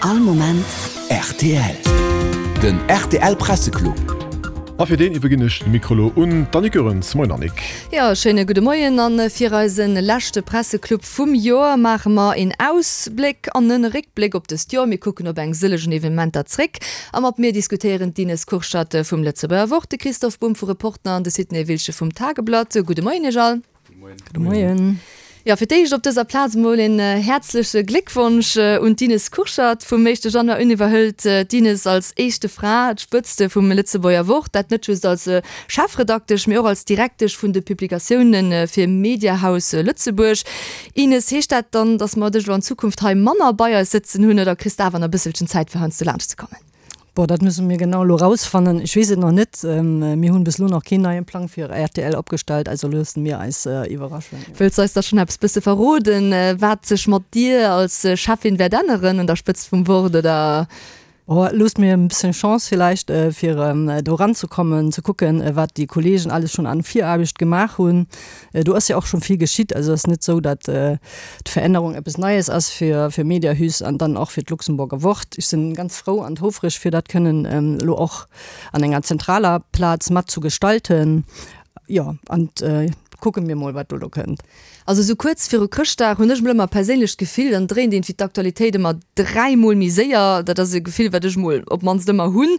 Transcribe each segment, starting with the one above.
All Moment rtl. Den rtl Presseclub. A fir deen iwwerginn ech de Mikro lo un d'Annick Goerens. Moien Annick. Jo, schéine gudde Moien. A fir eise leschte Presseclub vum Joer maache mer een Ausbléck an en Réckbléck op dëst Joer. Mir kucken op eng sëllegen Evenementer zréck a mat mir diskutéieren d'Ines Kurschat vum Lëtzebuerger Wort, de Christoph Bumb vu Reporter an de Sidney Wiltgen vum Tageblatt. Gudde Moien iech all. Gudde Moien. Jo, fir d'éischt op dëser Plaz emol een häerzleche Gléckwonsch un d'Ines Kurschat. Vum éischte Januar un iwwerhëlt d'Ines als éischte Fra d'Spëtzt vum Lëtzebuerger Wort. Dat net just als Chefredaktesch, mee och als Direktesch vun de Publikatioune fir Mediahaus Lëtzebuerg. Ines, heescht dat dann, datt mer dech elo an Zukunft hei manner bei eis sëtzen hunn oder kriss de awer nach e bësselchen Zäit fir heiansdo laanscht ze kommen? Bon, dat musse mir genau elo rausfannen. Ech weess et nach net. Mir hunn bis elo nach keen neien Plang fir rtl opgestallt, also loosse mir eis iwwerraschen. Wëlls eis da schonn eppes bësse verroden, wat sech mat dir als Cheffin wäert änneren un der Spëtzt vum Wort, oder? Oh, loosst mir e bëssen Chance villäicht, fir do eranzekommen, ze kucken, wat déi Kollegen alles schonn an Viraarbecht gemaach hunn. Do ass jo och schonn vill geschitt. Also ass net esou, datt d'Verännerung eppes Neies ass fir fir Mediahüs an dann och fir d'Luxemburger Wort. Ech sinn ganz frou an houfreg fir dat kënnen elo och an enger zentraler Plaz mat zu gestalten. Jo, an kucke mir mol wat do elo kënnt. Also esou kuerz viru Chrëschtdag hunn ech mol ëmmer perséinlech d'Gefill, dann dréint iergendwéi d'Aktualitéit ëmmer dräimol méi séier. Dat ass e Gefill, wat ech mol op d'mannst ëmmer hunn.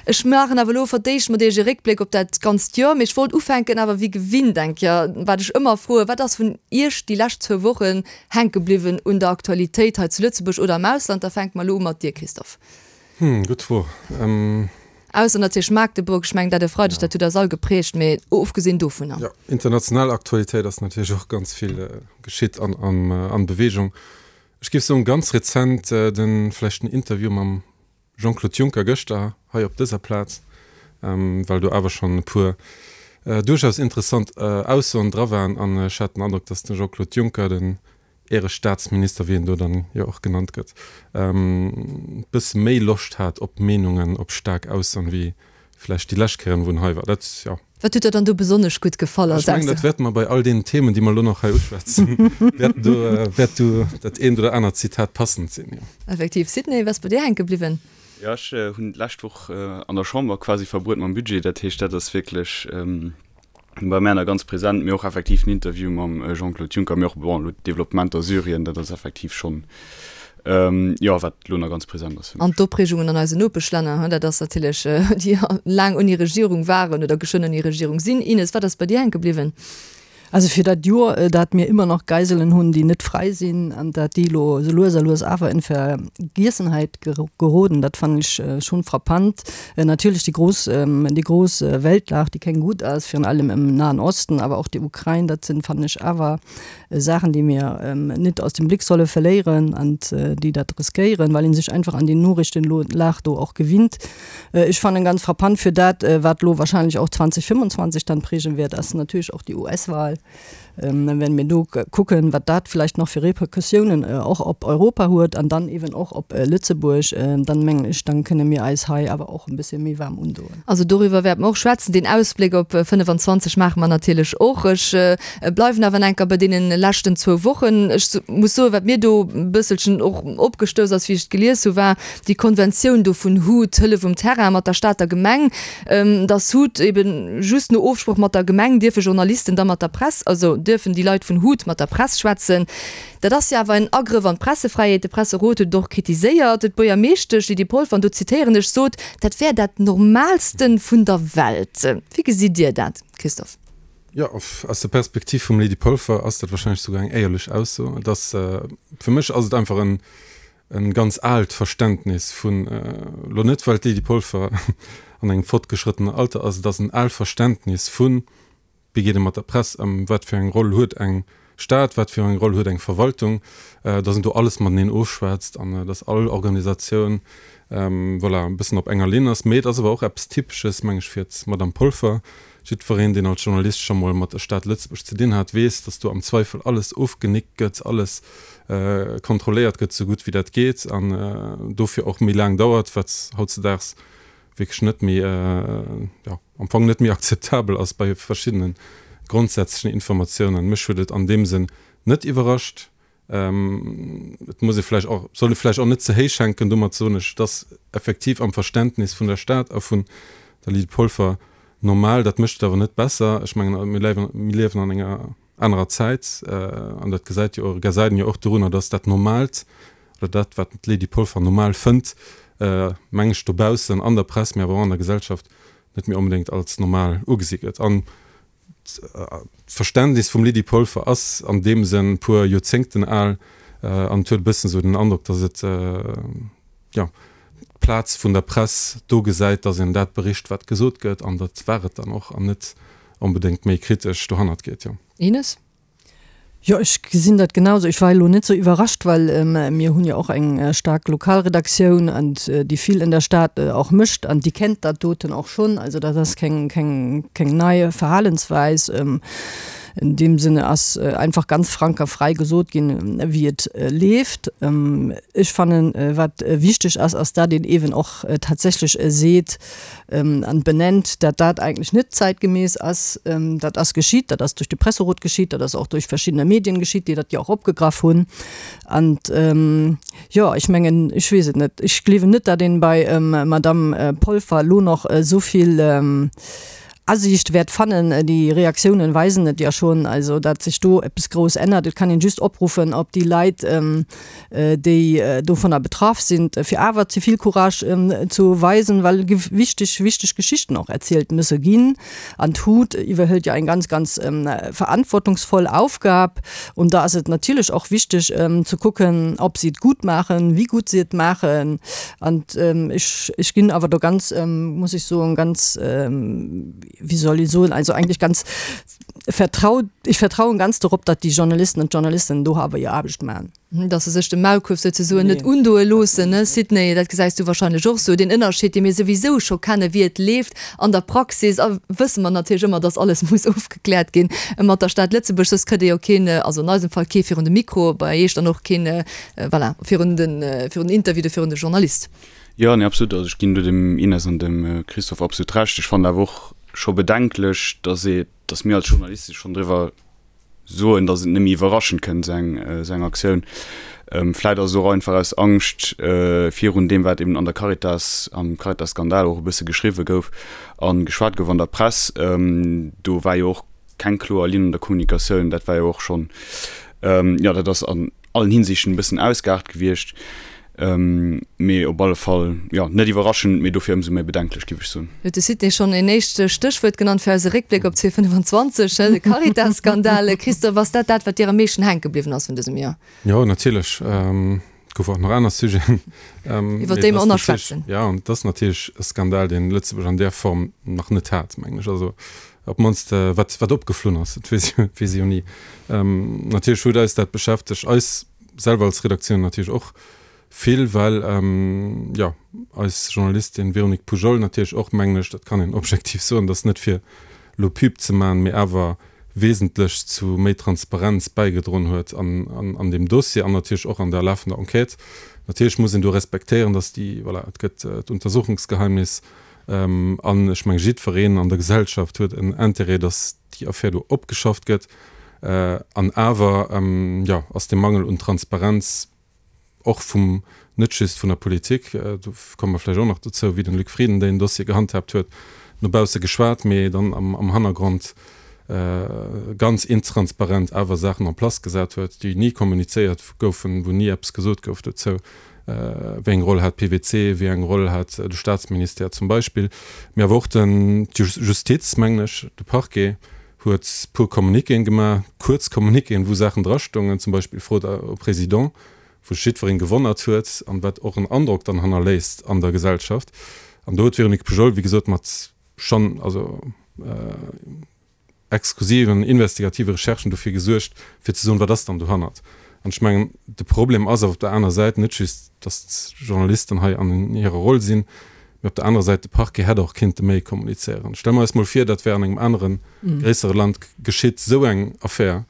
Ech maachen awer elo fir d'éischt mat iech e Réckbléck op dat ganzt Joer. Mee ech wollt ufänken awer wéi gewinnt eng Kéier, wat ech ëmmer froen, Wat ass vun iech déi lescht zwou Wochen hänke bliwwen un der Aktualitéit hei zu Lëtzebuerg oder am Ausland? Da fänke mer elo u mat dir, Christophe. Hm, gutt Fro. Ausser natierlech Magdeburg, ech mengen dat e Freideg, dat huet eis all geprägt, mee ofgesinn dovunner. Jo, international Aktualitéit ass natierlech och ganz vill geschitt an an Bewegung. Ech géif soen, ganz rezent de vläicht den Interview mam Jean-Claude Juncker gëschter hei op dëser Plaz, well do awer schonn e puer duerchaus interessant Aussoen dra waren an ech hat den Androck, datt de Jean-Claude Juncker, den Ärestaatsminister, wéi en do dann jo och genannt gëtt, e bësse méi Loscht hat op Meenungen, op staark Aussoen, wéi vläicht déi lescht Kéieren, wou en hei war. Dat, jo. Wat huet der dann do besonnesch gutt gefall als Ech mengen, dat wäerte mer bei all deenen Themen, déi mer elo nach hei uschwätzen, wäerten do, wäert do dat eent oder anert Zitat passend sinn, jo. Effektiv. Sidney, wat ass bei dir hänke bliwwen? Jo, ech hunn d'lescht Woch an der Chamber quasi verbruet mam Budget. Dat heescht, dat ass wierklech bei mär nach ganz present, mee och effektiv den Interview mam Jean-Claude Juncker, mee och, bon, elo d'Developpementer Syrien, dat ass effektiv schonn, jo, wat elo nach ganz present ass fir mech. An d'Opreegungen an eisen Nopeschlänner, hein, dat ass natierlech, déi laang ouni Regierung waren oder geschwënn ouni Regierung sinn. Ines, wat ass bei dir hänke bliwwen? Also fir dat Joer, dat mir ëmmer nach Geiselen hunn, déi net fräi sinn, an dat déi elo esou lues a lues awer in Vergiessenheit geroden, dat fannen ech schonn frappant. Natierlech déi grouss, déi grouss Weltlag, déi keng gutt ass, virun allem im Nahen Osten, awer och déi Ukrain, dat sinn, fannen ech, awer Saachen, déi mir net aus dem Blick solle verléieren an déi dat riskéieren, well ee sech einfach an déi Noriichtenlag do och gewinnt. Ech fannen ganz frappant fir dat, wat elo wahrscheinlech och 2025 dann prägen wäert, ass natierlech och déi US-Wahl. Wenn mir do kucken, wat dat vielleicht nach fir Repercussiounen och op Europa huet an dann eben och op Lëtzebuerg, dann mengen ech, dann kënne mir eis hei awer och e bëssche méi waarm undoen. Also doriwwer wäerte mer och schwätzen. Deen Ausbléck op 25 maache mer natierlech och. Ech bleiwen awer enker bei deene leschten zwou Wochen. Ech muss soen, wat mir do e bësselchen och opgestouss ass, wéi ech et gelies hu, war déi Konventioun do vun hut, Hëllef um Terrain mat der Stater Gemeng, dass hut eben just no Ofsproch mat der Gemeng dierfe Journalisten da mat der Press, also dierfen déi Leit vun hut mat der Press schwätzen. Dat ass jo awer en Agrëff an d'Pressefräiheet. De Presserot huet et och kritiséiert. D'Buergermeeschtesch Lydie Polfer, an do zitéieren ech, sot, dat wär dat Normalste vun der Welt. Wéi gesitt Dir dat, Christophe? Jo, aus der Perspektiv vum Lydie Polfer ass dat wahrscheinlech souguer eng éierlech Ausso. Et ass, fir mech ass et einfach en, E ganz aalt Verständnis vun, elo net well d'Lydie Polfer an engem fortgeschrëttenen Alter ass, et ass en aalt Verständnis vun, wéi geet ee mat der Press ëm, wat fir eng Roll huet eng Stad, wat fir eng Roll huet eng Verwaltung, datt een do alles mateneen ofschwätzt an datt all Organisatioun, voilà, e bëssen op enger Linn ass. Mee et ass awer och eppes Typesches, meng ech, fir d'Madame Polfer. Jiddwereen, deen als Journalist scho mol mat der Stad Lëtzebuerg ze dinn hat, weess, datt do am Zweifel alles ofgenickt gëtt, alles kontrolléiert gëtt, sou gutt wéi dat geet, an dofir och méi laang dauert, wat hautzedaags wierklech net méi, jo, am Fong net méi akzeptabel ass bei verschiddene grondsätzlechen Informatiounen. Mech huet et an deem Sënn net iwwerrascht. Et muss ee vläicht och, soll ee vläicht och net ze héich hänken. Domat soen ech, et ass effektiv am Verständnis vun der Stad a vun der Lydie Polfer normal. Dat mécht et awer net besser. Ech mengen, mir liewen, mir liewen an enger anerer Zäit an dat gesäit jo, gesäit een jo och dorunner, dass dat Normaalt oder dat, wat d'Lydie Polfer normal fënnt, meng ech, dobaussen an der Press, mee awer och an der Gesellschaft net méi onbedéngt als normal ugesi gëtt. An D'Verständnis vum Lydie Polfer ass an deem Sënn e puer Joerzéngten al an et huet e bëssen esou den Androck, datt et, jo, d'Plaz vun der Press do gesäit, datt een dat bericht, wat gesot gëtt, an dat war et dann och, an net onbedéngt méi kritesch dohannert geet, jo. Ines? Jo, ech gesinn dat genauso. Ech war elo net sou iwwerrascht, well mir hunn jo och eng staark Lokalredaktioun an déi vill in der Stad och mécht an déi kennt dat doten och schonn. Also dat ass keng, keng, keng nei Verhalensweis. In deem Sinne ass einfach ganz frank a frei gesot ginn, wéi et leeft. Ech fannen, wat wichteg ass, ass dat een eeben och tatsächlech seet, an benennt, dat dat eigentlech net zäitgemäß ass. Dat ass geschitt, dat ass duerch de Presserot geschitt, dat ass och duerch verschiddene Medien geschitt, déi dat jo och opgegraff hunn. An jo, ech mengen, ech weess et net, ech gleewen net, dat een bei Madamm Polfer elo nach esou vill Asiicht wäert fannen. Déi Reaktiounen weisen et jo schonn, also dat sech do eppes grouss ännert. Et kann een just opruffen op déi Leit, déi dovunner betraff sinn, fir awer Zivilcourage ze weisen, well wichteg, wichteg Geschichten och erzielt musse ginn. An d'HUT iwwerhëlt jo eng ganz, ganz verantwortungsvoll Aufgab. Und da ass et natierlech och wichteg ze kucken, ob si et gutt maachen, wéi gutt si et maachen. An ech, ech ginn awer do ganz, muss ech soen, ganz, wéi soll ech soen, also eigentlech ganz vertraut, ech vertrauen ganz dorop, datt déi Journalisten an d'Journalistinnen do awer hir Aarbecht maachen. Datt se sech de Maulkuerf souzesoen net undoe loossen, ne Sidney? Dat gesäis du wahrscheinlech och sou. Deen Ënnerscheed, dee mir souwisou scho kennen, wéi et leeft an der Praxis, a wësse mer natierlech ëmmer, datt alles muss ofgekläert ginn mat der Stad Lëtzebuerg, soss kritt ee jo keen, also an eisem Fall kee virun de Mikro, bei Iech dann och keen, voilà, virun den, virun den Interview oder virun de Journalist. Jo, nee, absolut. Also ech ginn do dem Ines an dem Christophe absolut Recht. Ech fannen awer och scho bedenklech, datt ee, datt mir als Journaliste schonn driwwer soen, datt et net méi iwwerraschend kënnt, esou eng, esou eng Aktioun. Vläit ass et och einfach aus Angscht virun deem, wat eben an der Caritas, am Caritas-Skandal och e bësse geschriwwe gouf a geschwat gouf an der Press. Do war jo och keng kloer Linn an der Kommunikatioun. Dat war jo och schonn, jo, dat ass an allen Hinsichten e bëssen ausgeaart gewiescht. Mee op alle Fall, jo, net iwwerraschend, mee dofir ëmsou méi bedenklech, géif ech soen. Huet de Sidney schonn een éischt Stéchwuert genannt fir eise Réckbléck op 2025, de Caritas-Skandal. Christophe, ass dat dat, wat dir am meeschten hänke bliwwen ass vun dësem Joer? Jo, natierlech. Et goufe och nach aner Sujeten. Iwwer déi mer och nach schwätzen. Jo, an et ass natierlech e Skandal, deen Lëtzebuerg an där Form nach net hat, mengen ech. Also op d'mannst wat, wat opgeflunn ass, dat weess, weess ee jo ni. Natierlech huet eis dat beschäftegt, eis selwer als Redaktioun natierlech och vill, well jo eis Journalistin Véronique Poujol natierlech och, mengen ech, dat kann een objektiv soen, dat ass net fir elo Pub ze maachen, mee awer wesentlech zu méi Transparenz bäigedroen huet an deem Dossier an natierlech och an der lafender Enquête. Natierlech muss een do respektéieren, dass déi, voilà, et gëtt d'Untersuchungsgeheimnis an ech menge jiddwereen an der Gesellschaft huet en Intérêt, dass déi Affär do opgeschafft gëtt. An awer, jo, ass dee Mangel un Transparenz och vum, net just vun der Politik, do komme mer vläicht och nach dozou, wéi den Luc Frieden deen Dossier gehandhaabt huet, no bausse geschwat, mee dann am Hannergrond ganz intransparent awer Saachen en place gesat huet, déi ni kommunizéiert goufen, wou ni eppes gesot gouf dozou, wéi eng Roll hat PwC, wéi eng Roll hat de Staatsministère zum Beispill, mee awer och den, d'Justiz, mengen ech, de Parquet huet puer Communiquéen gemaach, kuerz Communiquéen, wou Saachen drastungen, zum Beispill Fraude au Président, wou sech jiddwereen gewonnert huet an wat och en Androck dann hannerléisst an der Gesellschaft. An do huet d'Véronique Poujol, wéi gesot, mat schonn also exklusiven investigative Recherchen dofir gesuergt, fir ze soen, wat ass dann dohannert. An ech mengen, de Problem ass awer op der aner Säit net just, datt d'Journalisten hei an hirer Roll sinn, mee op der anerer Säit, de Parquet hätt och kinnte méi kommunizéieren. Stelle mer eis mol vir, dat wär an engem anere gréissere Land geschitt, esou eng Affär.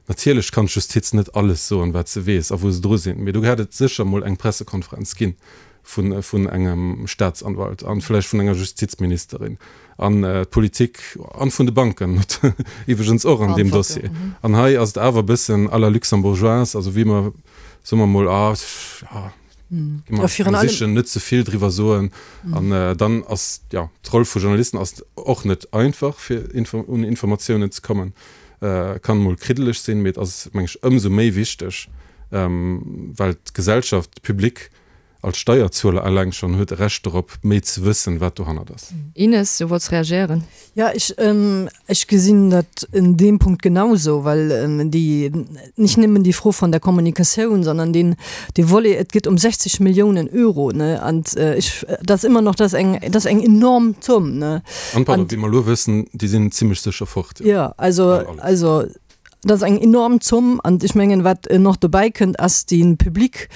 Natierlech kann d'Justiz net alles soen, wat se weess a wou se dru sinn, mee do hätt et sécher mol eng Pressekonferenz ginn, vun, vun engem Staatsanwalt an vläicht vun enger Justizministerin an d'Politik an vun de Banken iwwregens och an deem Dossier. An hei ass et awer e bëssen à la luxembourgeoise, also wéi mer, soe mer emol, ah, ja, gi mer eng sichen, net ze vill driwwer soen. An dann ass, jo, d'Roll vu Journalisten ass och net einfach, fir un Informatiounen ze kommen, kann emol kriddeleg sinn, mee et ass, meng ech, ëmsou méi wichteg, well d'Gesellschaft, de Public als Steierzueler eleng schonn huet e Recht dorop, méi ze wëssen, wat dohannert ass. Ines, du wollts reagéieren? Ja, ech, ech gesinn dat en deem Punkt genauso, well déi, nicht nëmmen déi Fro von der Kommunikatioun, sondern deen, dee Volet, et geet ëm 60 Milliounen Euro, ne, an ech, dat ass ëmmer nach, dat ass eng, dat ass eng enorm Zomm, ne. An, pardon, wéi mer elo wëssen, déi sinn zimlech sécher fort. Jo, also, also. Dat ass eng enorm Zomm. An ech mengen, wat nach dobäi kënnt, ass de Public,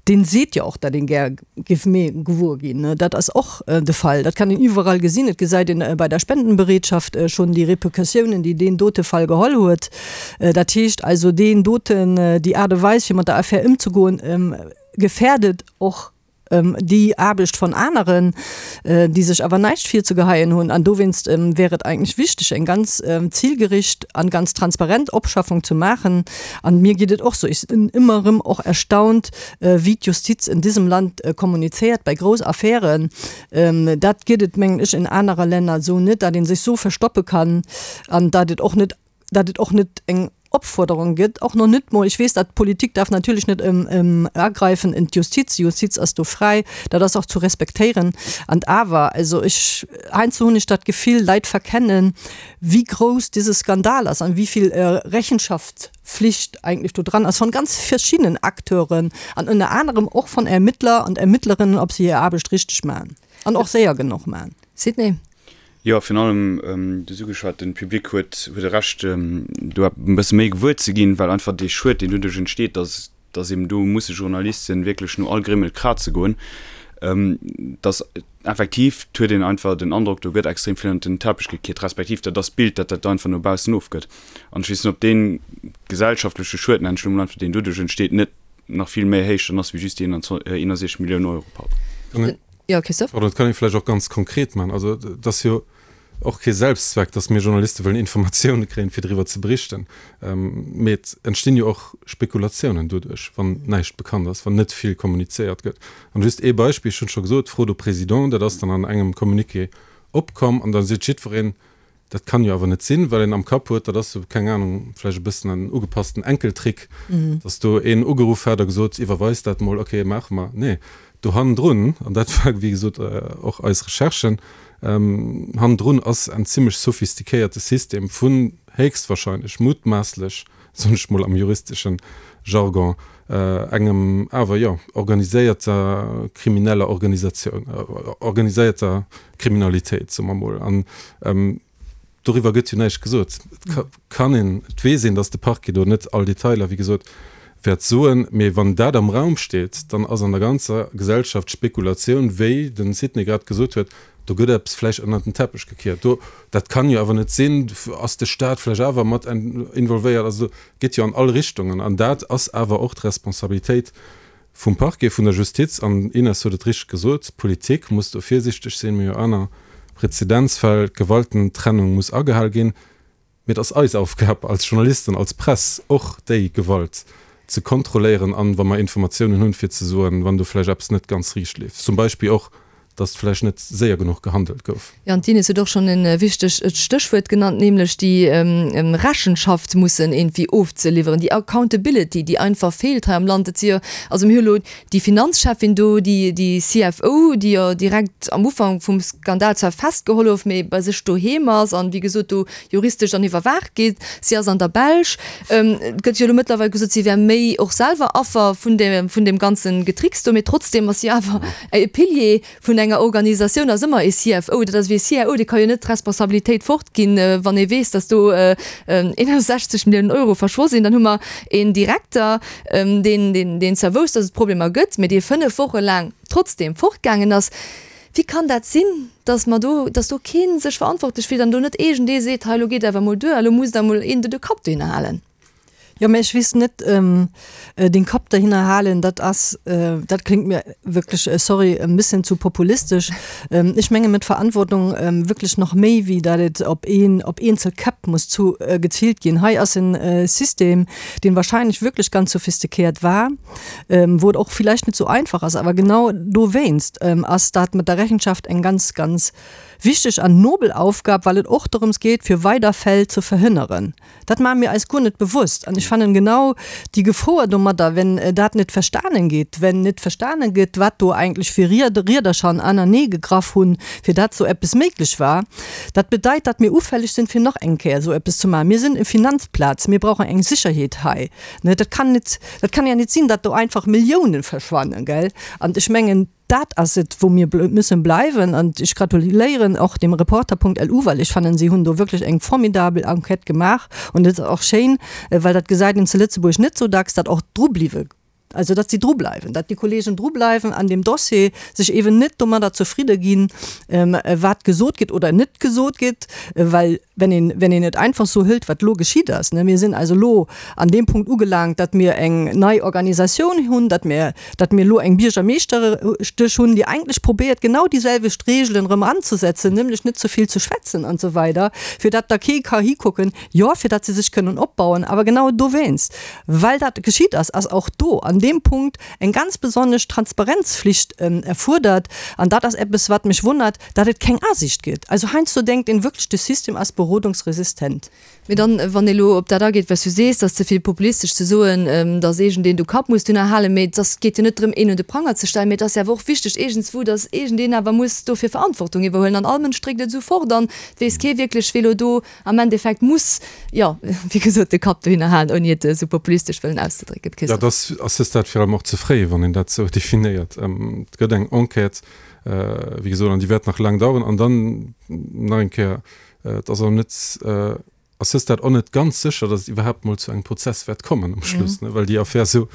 dee seet jo och, datt een gär géif méi gewuer ginn. Dat ass och de Fall. Dat kann een iwwerall gesinn. Et gesäit een bei der Spendenbereetschaft schonn déi Repercussiounen, déi deen dote Fall geholl huet. Dat heescht also, deen doten, déi Aart a Weis, fir mat der Affär ëmzegoen, gefährdet och déi Aarbecht von aneren, déi sech awer näischt virzegeheien hunn. An dowéinst wär et eigentlech wichteg, eng ganz zilgericht an ganz transparent Opschaffung ze maachen. An mir geet et och sou, ech sinn ëmmer erëm och erstaunt, wéi d'Justiz en diesem Land kommunizéiert bei grouss Affären. Dat gëtt et, mengen ech, en anerer Länner esou net, datt ee sech sou verstoppe kann an datt et och net datt et och net eng Opfuerderung gëtt, och nach net mol, ech weess, datt d'Politik darf natierlech net agreifen en d'Justiz, déi Justiz ass do fräi, dat ass och zu respektéieren. An awer, also ech, heiansdo hunn ech dat Gefill, Leit verkennen, wéi grouss dese Skandal ass an wéi vill Rechenschaftspflicht eigentlech do dran ass von ganz verschiddenen Acteuren an ënner anerem och von Ermittler und Ermittlerinnen, ob se hir Aarbecht richteg maachen an och séier genuch maachen. Sidney. Jo, virun allem, du hues ugeschwat, de Public huet huet e Recht, do e bësse méi gewuer ze ginn, well einfach dee Schued, deen doduerch entsteet, dass dass eben do musse Journalisten wierklech no all Grimmel kraze goen, dass effektiv, et huet een einfach den Androck, do gëtt extrem vill ënnert den Teppech gekiert, respektiv dat ass d'Bild, dat dat einfach no baussen ofgëtt. An ech weess net, ob dee gesellschaftleche Schued, nennen ech elo mol einfach, deen doduerch entsteet, net nach vill méi héich dann ass wéi just déi 61 Milliounen Euro. Pardon. Jo, Christophe? Pardon, dat kann ee vläicht och ganz konkret maachen. Also et ass jo och kee Selbstzweck, datt mir Journaliste wëllen Informatioune kréien, fir driwwer ze berichten. Mee et entstinn jo och Spekulatiounen doduerch, wann näischt bekannt ass, wann net vill kommunizéiert gëtt. An just ee Beispill, ech hunn et scho gesot, d'Fro do Président, dat ass dann an engem Communiqué opkomm an da seet jiddwereen, Dat kann jo awer net sinn, well een am Kapp huet, dat ass sou, keng Ahnung, vläicht e bëssen en ugepassten Enkeltrick, dass do een ugeruff hat a gesot, iwwerweis dat mol, ok, maache mer. Nee, do hannendrun, an dat war wéi gesot och eis Recherche, hannendrun ass en zimmlech sophistiquéierte System vun héchstwahrscheinlech, mutmaasslech, soen ech mol am juristeschen Jargon, engem awer, jo, organiséierter krimineller Organisatioun, organiséierter Kriminalitéit, soe mer mol. An doriwwer gëtt jo näischt gesot. Et kann een, et weess een, datt de Parquet do net all Detailer, wéi gesot, wäert soen. Mee wann dat am Raum steet, dann ass an der ganzer Gesellschaft d'Spekulatioun, wéi de Sidney grad gesot huet, do gëtt eppes vläicht ënnert den Teppech gekiert. Do, dat kann jo awer net sinn, ass de Staat vläicht awer mat involvéiert. Also geet jo an all Richtungen. An dat ass awer och d'Responsabilitéit vum Parquet, vun der Justiz. An Ines huet et richteg gesot, d'Politik muss do virsichteg sinn. Mir hu jo aner Prezedenzfäll, d'Gewaltentrennung muss agehal ginn. Mee et ass eis Aufgab als Journalisten, als Press, och déi Gewalt ze kontrolléieren an, wa mer Informatiounen hunn, fir ze soen, wann do vläicht eppes net ganz riicht leeft. Zum Beispill och, datt vläicht net séier genuch gehandelt gouf. Jo, an d'Ines huet och schonn e wichtegt Stéchwuert genannt, nämlech déi Rechenschaft mussen iergendwéi ofzeliwweren, déi Accountability, déi einfach feelt hei am Land. Et si jo, also mir hu elo déi Finanzcheffin do, déi, déi CFO, déi jo direkt am Ufank vum Skandal zwar festgeholl gouf, mee bei sech doheem ass an, wéi gesot, do juristesch dann iwwerwaacht gétt. Si ass an der Belsch. Et gëtt jo elo mëttlerweil gesot, si wär méi och selwer Affer vun deem, vun deem ganze Getricks do, mee trotzdem ass si awer E Pilier vun enger Organisatioun ass ëmmer e CFO. Dat ass wéi e CIO, dee ka jo net d'Responsabilitéit fortginn, wann ee weess, datt do 61 Milliounen Euro verschwo sinn. Dann hu mer een Direkter, deen, deen zwar wousst, datt et Problemer gëtt, mee dee 5 Woche laang trotzdeem fortgaangen ass. Wéi kann dat sinn, datt mer do, datt do kee sech verantwortlech fillt an do net iergendee seet, hei elo geet awer emol duer, elo muss da emol een do de Kapp dohinner halen? Jo, mä ech weess net, den Kapp derhinner halen, dat ass, dat kléngt mir wierklech, sorry, e bëssen zu populistesch. Ech menge met Verantwortung wierklech nach méi, wéi dat et op een, op eenzel Käpp muss zu geziilt ginn. Hei ass e System, deen wahrscheinlech wierklech ganz sophistiquéiert war, wou et och villäicht net sou einfach ass, awer genau dowéinst ass dat mat der Rechenschaft eng ganz, ganz wichteg an nobel Aufgab, well et och dorëms geet, fir weider Fäll ze verhënneren. Dat maache mir eis guer net bewusst. An ech fannen genau déi Gefoer domadder, wenn dat net verstanen gétt, wenn net verstanen gëtt, wat do eigentlech fir Riedercher anernee gegraff hunn, fir dat esou eppes méiglech war, dat bedeit, datt mir ufälleg sinn, fir nach eng Kéier esou eppes ze maachen. Mir sinn e Finanzplaz, mir brauchen eng Sécherheet hei. Dat kann net, dat kann ja net sinn, datt do einfach Milliounen verschwannen, gell? An ech mengen, Dat ass et, wou mir müssen bleiwen. An ech gratuléieren och dem Reporter.lu, well ech fannen, si hunn do wierklech eng formidabel Enquête gemaach. Und et ass och schéin, well dat gesäit een zu Lëtzebuerg net sou dacks, datt och dru bliwwe, also datt si dru bleiwen, datt déi Kollegen dru bleiwen an deem Dossier, sech eeben net domadder zefridde ginn, wat gesot gëtt oder net gesot gëtt, well Wenn een, wenn een et einfach sou hëlt, wat elo geschitt ass, ne, mir sinn also elo an deem Punkt ugelaangt, datt mir eng nei Organisatioun hunn, datt mir, datt mir elo eng Biergermeeschtesch hunn, déi eigentlech probéiert, genau déi selwecht Regeln erëm anzesetzen, nämlech net ze vill ze schwätzen an esou weider, fir datt da kee ka hikucken, jo, fir datt se sech kënnen opbauen. Awer genau dowéinst, well dat geschitt ass, ass och do an deem Punkt eng ganz besonnesch Transparenzflicht erfuerdert. An dat ass eppes, wat mech wonnert, Datt et keng Asiicht gëtt. Also heiansdo denkt een wierklech, de System ass berodungsresistent. Mee dann, wann ee lo op dat ageet, wat s du sees, 't ass ze vill populistesch ze soen, datt iergendeen do Kapp muss dunner halen, mee et ass, geet jo net drëm, een un de Pranger ze stellen, mee et ass jo awer och wichteg iergendswou, datt iergendeen awer muss dofir Verantwortung iwwerhuelen. An all Mënsch dréckt et esou fort an et weess kee wierklech, wee lo do am Endeffekt muss, jo, wéi gesot, de Kapp dohinner halen, ouni et esou populistesch wëllen auszedrécken. Jo, et ass à ce stade virun allem och ze fréi, wann een dat esou definéiert. Et gëtt eng Enquête. Wéi gesot, an déi wäert nach laang daueren. An dann nach eng Kéier, et ass och net, à ce stade och net ganz sécher, datt et iwwerhaapt mol zu engem Prozess wäert kommen um Schluss, ne, well déi Affär esou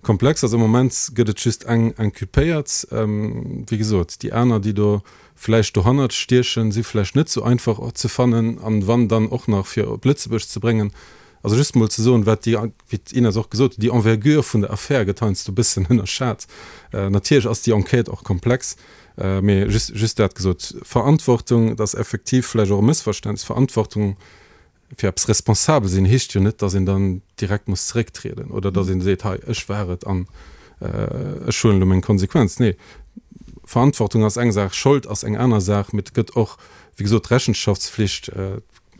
komplex ass. Am Moment gëtt et just eng Inculpéiert. Wéi gesot, déi aner, déi do vläicht dohannert stiechen, si vläicht net esou einfach ze fannen an wann dann och nach fir op Lëtzebuerg ze bréngen. Also just mol ze soen, wat déi, wéi d'Ines och gesot huet, déi Envergure vun der Affär gëtt heiansdo e bëssen ënnerschat. Natierlech ass déi Enquête och komplex, mee just, just dat gesot. Verantwortung, dat ass effektiv vläicht och e Mëssverständnis, Verantwortung fir eppes responsabel sinn heescht jo net, datt een dann direkt muss zerécktrieden oder datt een seet, hei ech war et an ech huelen elo meng Konsequenz. Nee, Verantwortung ass eng Saach, Schold ass eng aner Saach, mee et gëtt och, wéi gesot, d'Rechenschaftspflicht,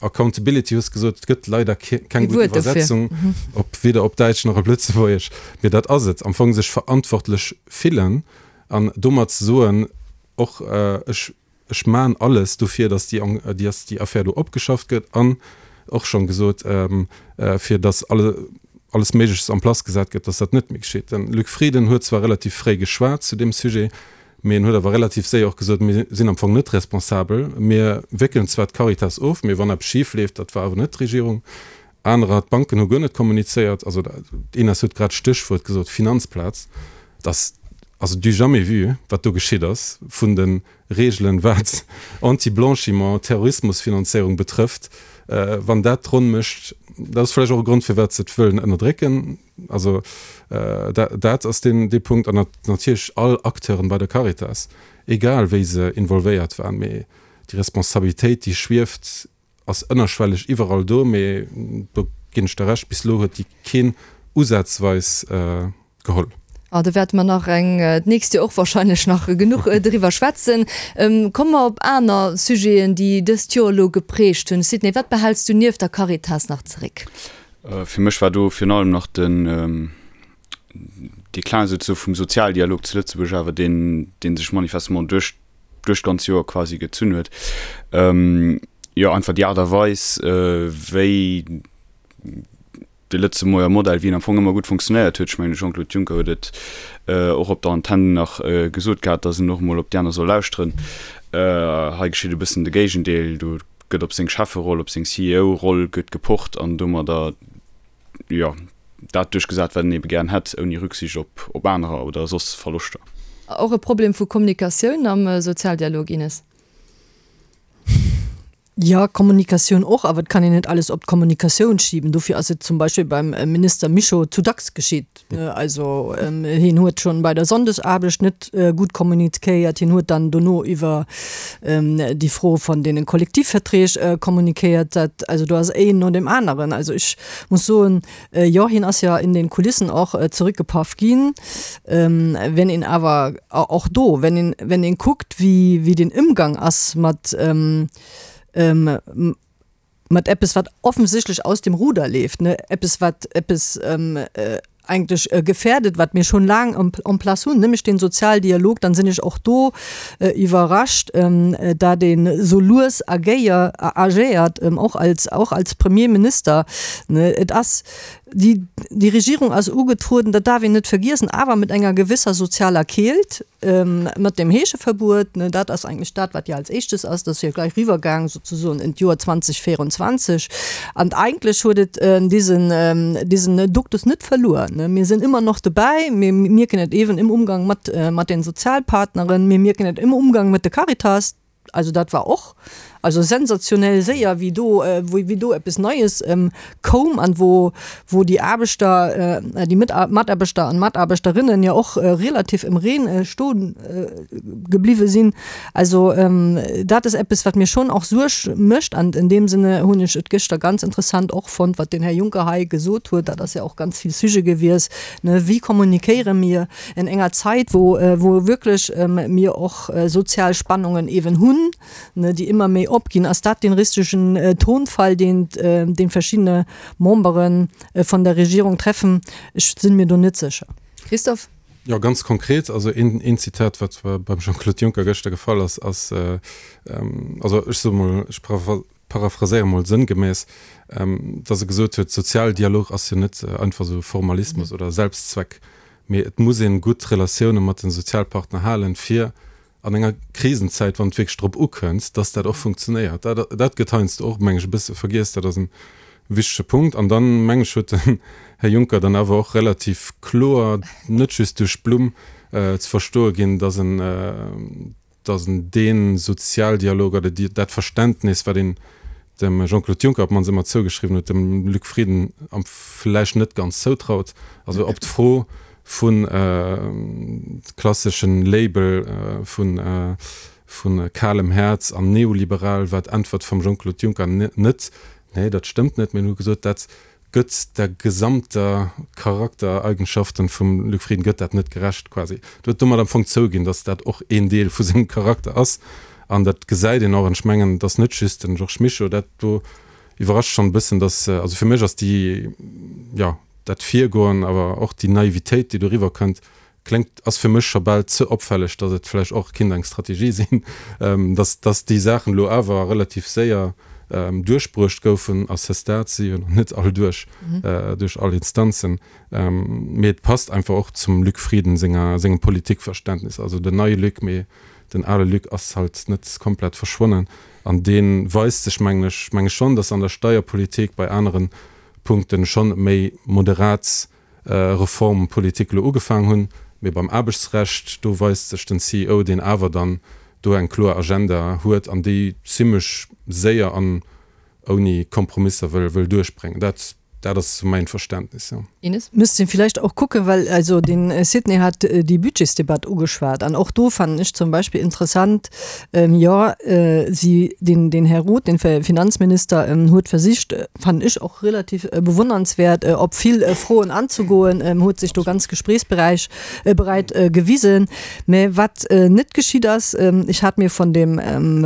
Accountability hues gesot, et gëtt leider keng gutt Iwwersetzung, op weder op Däitsch nach op Lëtzebuergesch, mee dat ass et am Fong, sech verantwortlech fillen an domat ze soen och, ech ech man alles dofir, datt déi datt déi Affär do opgeschafft gëtt an och schonn gesot, fir datt alle alles Méigleches en place gesat gëtt, datt dat net méi geschitt. Den Luc Frieden huet zwar relativ fréi geschwat zu deem Sujet, Mee en huet awer relativ séier och gesot, Mir sinn am Fong net responsabel. Mir wéckelen zwar d'Caritas of, mee wann eppes schif leeft, dat war awer net d'Regierung. Anerer, d'Banken hu guer net kommunizéiert. Also d'Ines huet grad d'Stéchwuert gesot, Finanzplaz. Et ass also du jamais vu, wat do geschitt ass vun de Reegelen, wat Anti-Blanchiment, Terrorismusfinanzéierung betrëfft. Wann dat d'Ronn mécht, dat ass vläicht och e Grond, firwat se et wëllen ënnerdrécken. Also dat ass deen dee Punkt. An natierlech all Acteuren bei der Caritas, egal wéi se involvéiert waren, mee déi Responsabilitéit, déi schwieft, ass ënnerschwelleg iwwerall do. Mee do ginn ech der Recht, bis elo huet déi keen usazweis geholl. Ah, do wäerte mer nach eng d'nächst Joer och wahrscheinlech nach genuch driwwer schwätzen. Komme mer op aner Sujeten, déi dëst Joer elo geprägt hunn. Sidney, wat behäls du nieft der Caritas nach zeréck? Fir mech war do virun allem nach den Déclin souzesoe vum Sozialdialog zu Lëtzebuerg awer deen, dee sech manifestement duerch duerch d'ganz Joer quasi gezunn huet. Jo, einfach déi Aart a Weis, wéi de Lëtzebuerger Modell, wéi en am Fong ëmmer gutt funktionéiert huet, ech mengen de Jean-Claude Juncker huet et och op der Antenn nach gesot gehat, datt en och emol op déi aner soll lauschteren. Hei geschitt e bëssen de Géigendeel, do gëtt op seng Chefferoll, op seng CEO-Roll gëtt gepocht an domadder, jo, dat duerchgesat, wat en ebe gären hätt, ouni Rücksicht op, op anerer oder soss Verloschter. Och e Problem vu Kommunikatioun am Sozialdialog, Ines? Jo, Kommunikatioun och, awer et kann een net alles op d'Kommunikatioun schiben. Dofir ass et zum Beispill beim Minister Mischo zu dacks geschitt. Also hien huet schonn bei der Sonndesaarbecht net gutt kommuniquéiert, hien huet dann dono iwwer déi Fro von deene Kollektivverträg kommuniquéiert. Dat, also do ass een no deem aneren. Also ech muss soen, jo, hien ass jo in den Kulissen och zurückgepaff ginn. Wenn een awer och do, wenn een, wenn een kuckt, wéi, wéi den Ëmgang ass mat, mat eppes wat offensichtlech aus dem Ruder leeft, ne, eppes wat eppes eigentlech gefährdet, wat mir schon laang en place hunn, nämlech den Sozialdialog, dann sinn ech och do iwwerrascht, dat een esou lues agéier, agéiert, och als, och als Premierminister, ne. Et ass, déi, déi Regierung ass ugetrueden, dat darf een net vergiessen, awer mit enger gewisser sozialer Keelt, Mat dem Heescheverbuet, ne, dat ass eigentlech dat, wat jo als éischtes ass, dat ass jo gleich riwwergaang souzesoen in d'Joer 2024. An eigentlech huet et diesen, diesen Duktus net verluer, ne. Mir sinn ëmmer noch dobäi, mir mierken et eeben im Umgang mat, mat den Sozialpartneren, mir mierken et im Umgang mat de Caritas, Also dat war och also sensationell séier, wéi do, wéi do eppes Neies koum an wou, wou déi Aarbechter, déi Mataarbechter an Mataarbechterinnen jo och relativ im Reen stoe gebliwwe sinn. Also dat ass eppes, wat mir schonn och Suerg mécht. An in deem Sinne hunn ech et gëschter ganz interessant och fonnt, wat den Här Juncker hei gesot huet. Dat ass jo och ganz vill Sujet gewiescht, ne, Wéi kommunikéiere mir in enger Zait, wou, wou wierklech mir och sozial Spannungen eeben hunn, ne, déi ëmmer méi opginn, ass dat dee richtegen Tonfall, deen, deen verschiddene Membere von der Regierung treffen? Ech sinn mir do net sécher. Christophe? Jo, ganz konkret, also een, een Zitat, wat beim Jean-Claude Juncker gëschter gefall ass, ass, also ech soe mol, ech paraphraséiere mol sënngemäss, dass e gesot huet, Sozialdialog ass jo net einfach esou Formalismus oder Selbstzweck, mee et muss een gutt Relatioune mat den Sozialpartner halen, fir an enger Krisenzäit, wann et wierklech drop ukënnt, dass dat och funktionéiert. Dat, dat gëtt heiansdo och, meng ech, e bësse vergiess. Dat ass e wichtege Punkt. An dann, meng ech, huet den Här Juncker dann awer och relativ kloer, net just duerch d'Blumm, ze verstoe ginn, dass en, dass en dee Sozialdialog oder déi, dat Verständnis, wat een dem Jean-Claude Juncker op d'mannst ëmmer zougeschriwwen huet, dem Luc Frieden am vläicht net ganz zoutraut. Also op d'Fro vun klasseschen Label vun vu kalem Häerz an neoliberal war d'Äntwert vum Jean-Claude Juncker net, Nee, dat stëmmt net, mee en huet gesot, dat gëtt der gesamter Charaktereigenschaften vum Luc Frieden gëtt dat net gerecht quasi. Et huet domat am Fong zouginn, datt dat och een Deel vu sengem Charakter ass an dat gesäit een och. An ech mengen, et ass net just den Georges Mischo, dat do iwwerrascht schonn e bëssen, datt, also fir mech ass déi, jo, dat Virgoen, awer och déi Naivitéit, déi doriwwer kënnt, Kléngt, ass fir mech scho bal ze opfälleg, datt et vläicht och kinnt eng Strategie sinn, datt datt déi Saachen elo awer relativ séier duerchbruecht goufen. À ce stade si jo nach net all duerch, duerch all Instanzen. Mee et passt einfach och zum Luc Frieden senger, sengem Politikverständnis. Also den neie Luc, mee den ale Luc ass halt net komplett verschwonnen. An dee weist sech, mengen ech, menge schonn, datt an der Steierpolitik, bei anere Punkten schonn méi moderat Reformpolitik elo ugefaang hunn, mee beim Aarbechtsrecht, do weist sech den CEO, deen awer dann do eng kloer Agenda huet an déi zimlech séier an ouni Kompromisser wëll wëll duerchbréngen. Dat dat ass esou mäin Verständnis, jo. Ines? Misst een vielleicht och kucken, well also den Sidney hat déi Budgetsdebatt ugeschwat an och do fannen ech zum Beispill interessant, jo si den den Här Roth, den Finanzminister, huet versicht, fannen ech och relativ bewundernswert, op vill Froen anzegoen, huet sech do ganz gesprächsbereich bereit gewisen. Mä wat net geschitt ass, ech hat mir von dem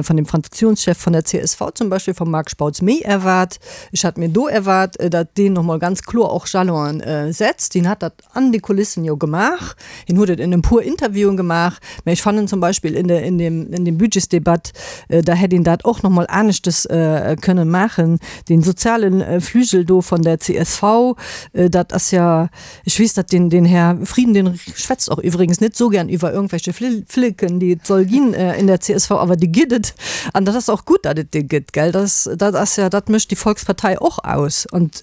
von dem Fraktionschef von der csv zum Beispill, vom Marc Spautz, méi erwaart. Ech hat mir do erwaart, datt deen nochmol ganz kloer och Jalonen setzt. Deen hat dat an de Kulissen jo gemaach, hien huet et in e puer Interviewen gemaach, mä ech fannen zum Beispill in der, in dem, in dem Budgetsdebatt, da hätt een dat och nochmol aneschtes kënnen maachen. Dee soziale Flügel do von der csv, dat ass ja, ech weess, datt den, den Här Frieden, dee schwätzt och iwwregens net esou gern iwwer irgendwelche Flicken, déi et soll ginn in der csv, awer déi gëtt et an dat ass och gutt, datt et déi gëtt, gell. Dat ass, dat ass ja, dat mécht déi Volkspartei och aus. Und.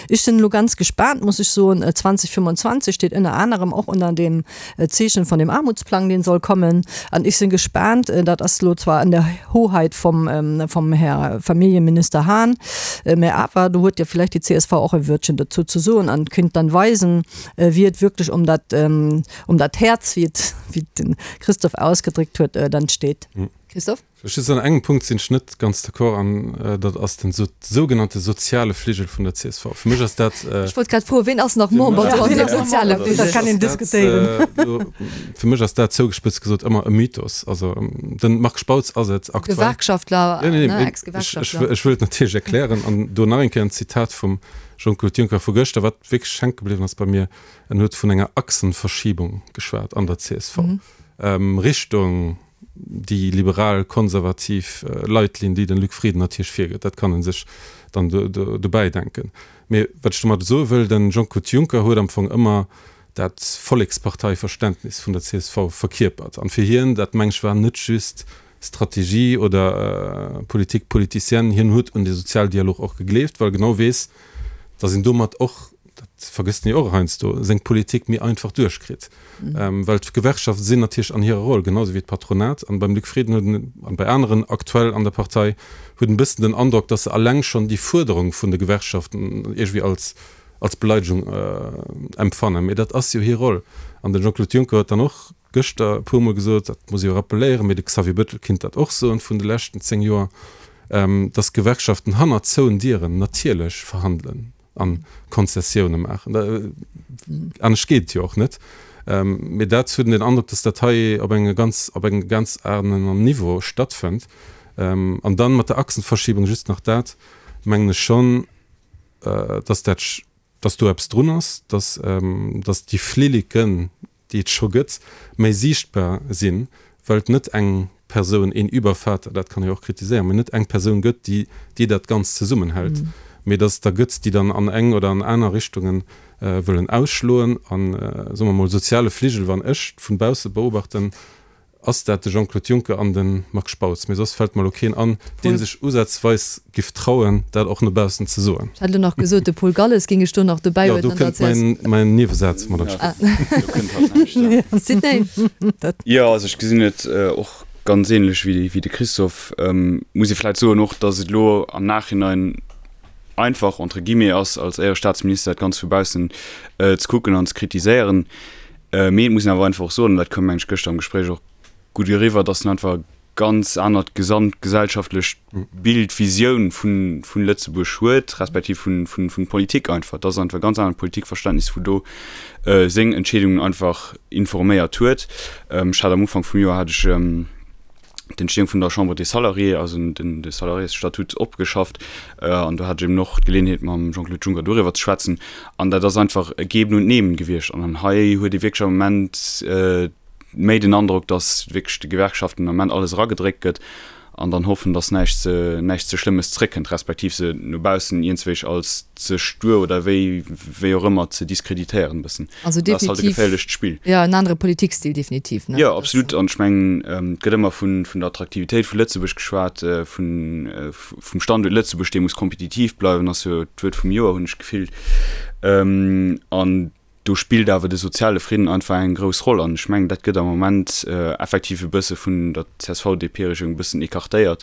Ech sinn elo ganz gespaant, muss ech soen. 2025 steet ënner anerem och ënner dem Zeechen von dem Armutsplang, deen soll kommen. An ech sinn gespaant, dat ass elo zwar an der Hoheit vom, vom Här Familljeminister Hahn, mä awer do huet jo vielleicht déi csv och e Wörtchen dozou ze soen an kéint dann weisen, wéi et wierklech um dat, um dat Häerz, wéi et, wéi et den Christophe ausgedréckt huet, dann steet. Christophe? Ech just an engem Punkt sinn ech net ganz d'accord an dat ass den sougenannte soziale Fligel vun der csv. Fir mech ass dat. Ech wollt grad froen, ween ass nach Member do an deem soziale Fligel? Dat kann een diskutéieren. Fir mech ass dat zougespëtzt gesot ëmmer e Mythos. Also den Marc Spautz ass et aktuell. Gewerkschaftler, ne, Ex-Gewerkschaftler. Ech wëll et natierlech erklären an do nach eng Kéier en Zitat vum Jean-Claude Juncker vu gëschter, wat wierklech hänke bliwwen ass bei mir. En huet vun enger Achsenverschiebung geschwat an der csv Richtung déi liberal-konservativ Leitlinn, déi den Luc Frieden natierlech virgëtt, dat kann e sech dann dobäi denken. Mee wat ech domat soe wëll, den Jean-Claude Juncker huet am Fong ëmmer dat Volleksparteiverständnis vun der csv verkierpert. An fir hien, dat meng ech, war net just Strategie oder Politique politicienne, hien huet un de Sozialdialog och gegleeft, well e genau weess, datt een domat och, dat vergësst en jo och heiansdo, seng Politik méi einfach duerchkritt. Well d'Gewerkschafte sinn natierlech an hirer Roll, genau esou wéi d'Patronat. An beim Luc Frieden huet en, an bei aneren aktuell an der Partei, huet en e bëssen den Androck, datt se alleng schonn déi Fuerderung vun de Gewerkschaften iergendwéi als, als Beleidegung empfannen. Mee dat ass jo hir Roll. An de Jean-Claude Juncker huet dann och gëschter e puermol gesot, dat muss ee jo rappeléieren, mee de Xavier Bettel kinnt dat och soen vun de leschten 10 Joer, datt d'Gewerkschaften hannert zouen Dieren natierlech verhandelen a Konzessioune maachen. Anescht geet et jo och net. Mee dat huet een den Androck, datt dat hei op enge ganz, op engem ganz aneren Niveau stattfënnt. An dann mat der Achsenverschiebung just nach dat, mengen ech schonn, datt dat, datt do eppes drun ass, datt, datt déi Flilleken, déi et scho gëtt, méi siichtbar sinn, well et net eng Persoun, een Übervater, dat kann ee jo och kritiséieren, mee net eng Persoun gëtt, déi, déi dat Ganzt zesummenhält, mee datt et der gëtt, déi dann an eng oder an aner Richtungen wëllen ausschloen. An, soe mer mol, soziale Fligel, wann ech vun bausse beobachten, Ass dat de Jean-Claude Juncker an de Marc Spautz? Mee soss fält mer elo keen an, dee sech usazweis giff trauen, dat och no baussen ze soen. Ech hätt elo nach gesot, de Paul Galles géing ech do nach dobäi huelen. Jo, do kënnt mäin Niewesaz mat an d'Spill. Sidney? Jo, also ech gesinn et och ganz ähnlech wéi de Christophe. Muss ee vläicht soen och, datt et elo am Nachhinein einfach, entre guillemets, ass, als Éierestaatsminister dat Ganzt vu baussen ze kucken an ze kritiséieren. Mee et muss een awer einfach och soen, an dat koum meng ech gëschter am Gespréich och gutt eriwwer, datt en einfach e ganz anert gesamtgesellschaftlecht Bild, Visioun vun, vun Lëtzebuerg huet, respektiv vun, vun, vun Politik einfach. Dat ass einfach e ganz anert Politikverständnis, wou do seng Entscheedungen einfach informéiert huet. Ech hat am Ufank vum Joer hat ech, d'Entstehung vun der Chambre des Salariés, also den de Salariésstatut opgeschafft an do hat ech eben och d'Geleeënheet mam Jean-Claude Juncker doriwwer ze schwätzen an dat ass einfach e Geben und Nehmen gewiescht an an hei huet ee wierklech am Moment méi den Androck, datt wierklech de Gewerkschaften am Moment alles eragedréckt gëtt an dann hoffen, datt näischt ze näischt ze Schlëmmes zréckkënnt, respektiv se no baussen iergendwéi als ze stuer oder wéi wéi och ëmmer ze diskreditéieren e bëssen. Also definitiv. Dat ass halt e geféierlecht Spill. Jo, en anere Politikstil definitiv, ne? Jo, absolut. An ech mengen, et gëtt ëmmer vun, vun der Attraktivitéit vu Lëtzebuerg geschwat, vun, vum Standuert Lëtzebuerg, dee muss kompetitiv bleiwen, ass jo d'Wuert vum Joer, hunn ech d'Gefill. An do spillt awer de soziale Fridden einfach eng grouss Roll. An ech mengen, dat gëtt am Moment effektiv e bësse vun der CSV-DP-Regierung e bëssen écartéiert,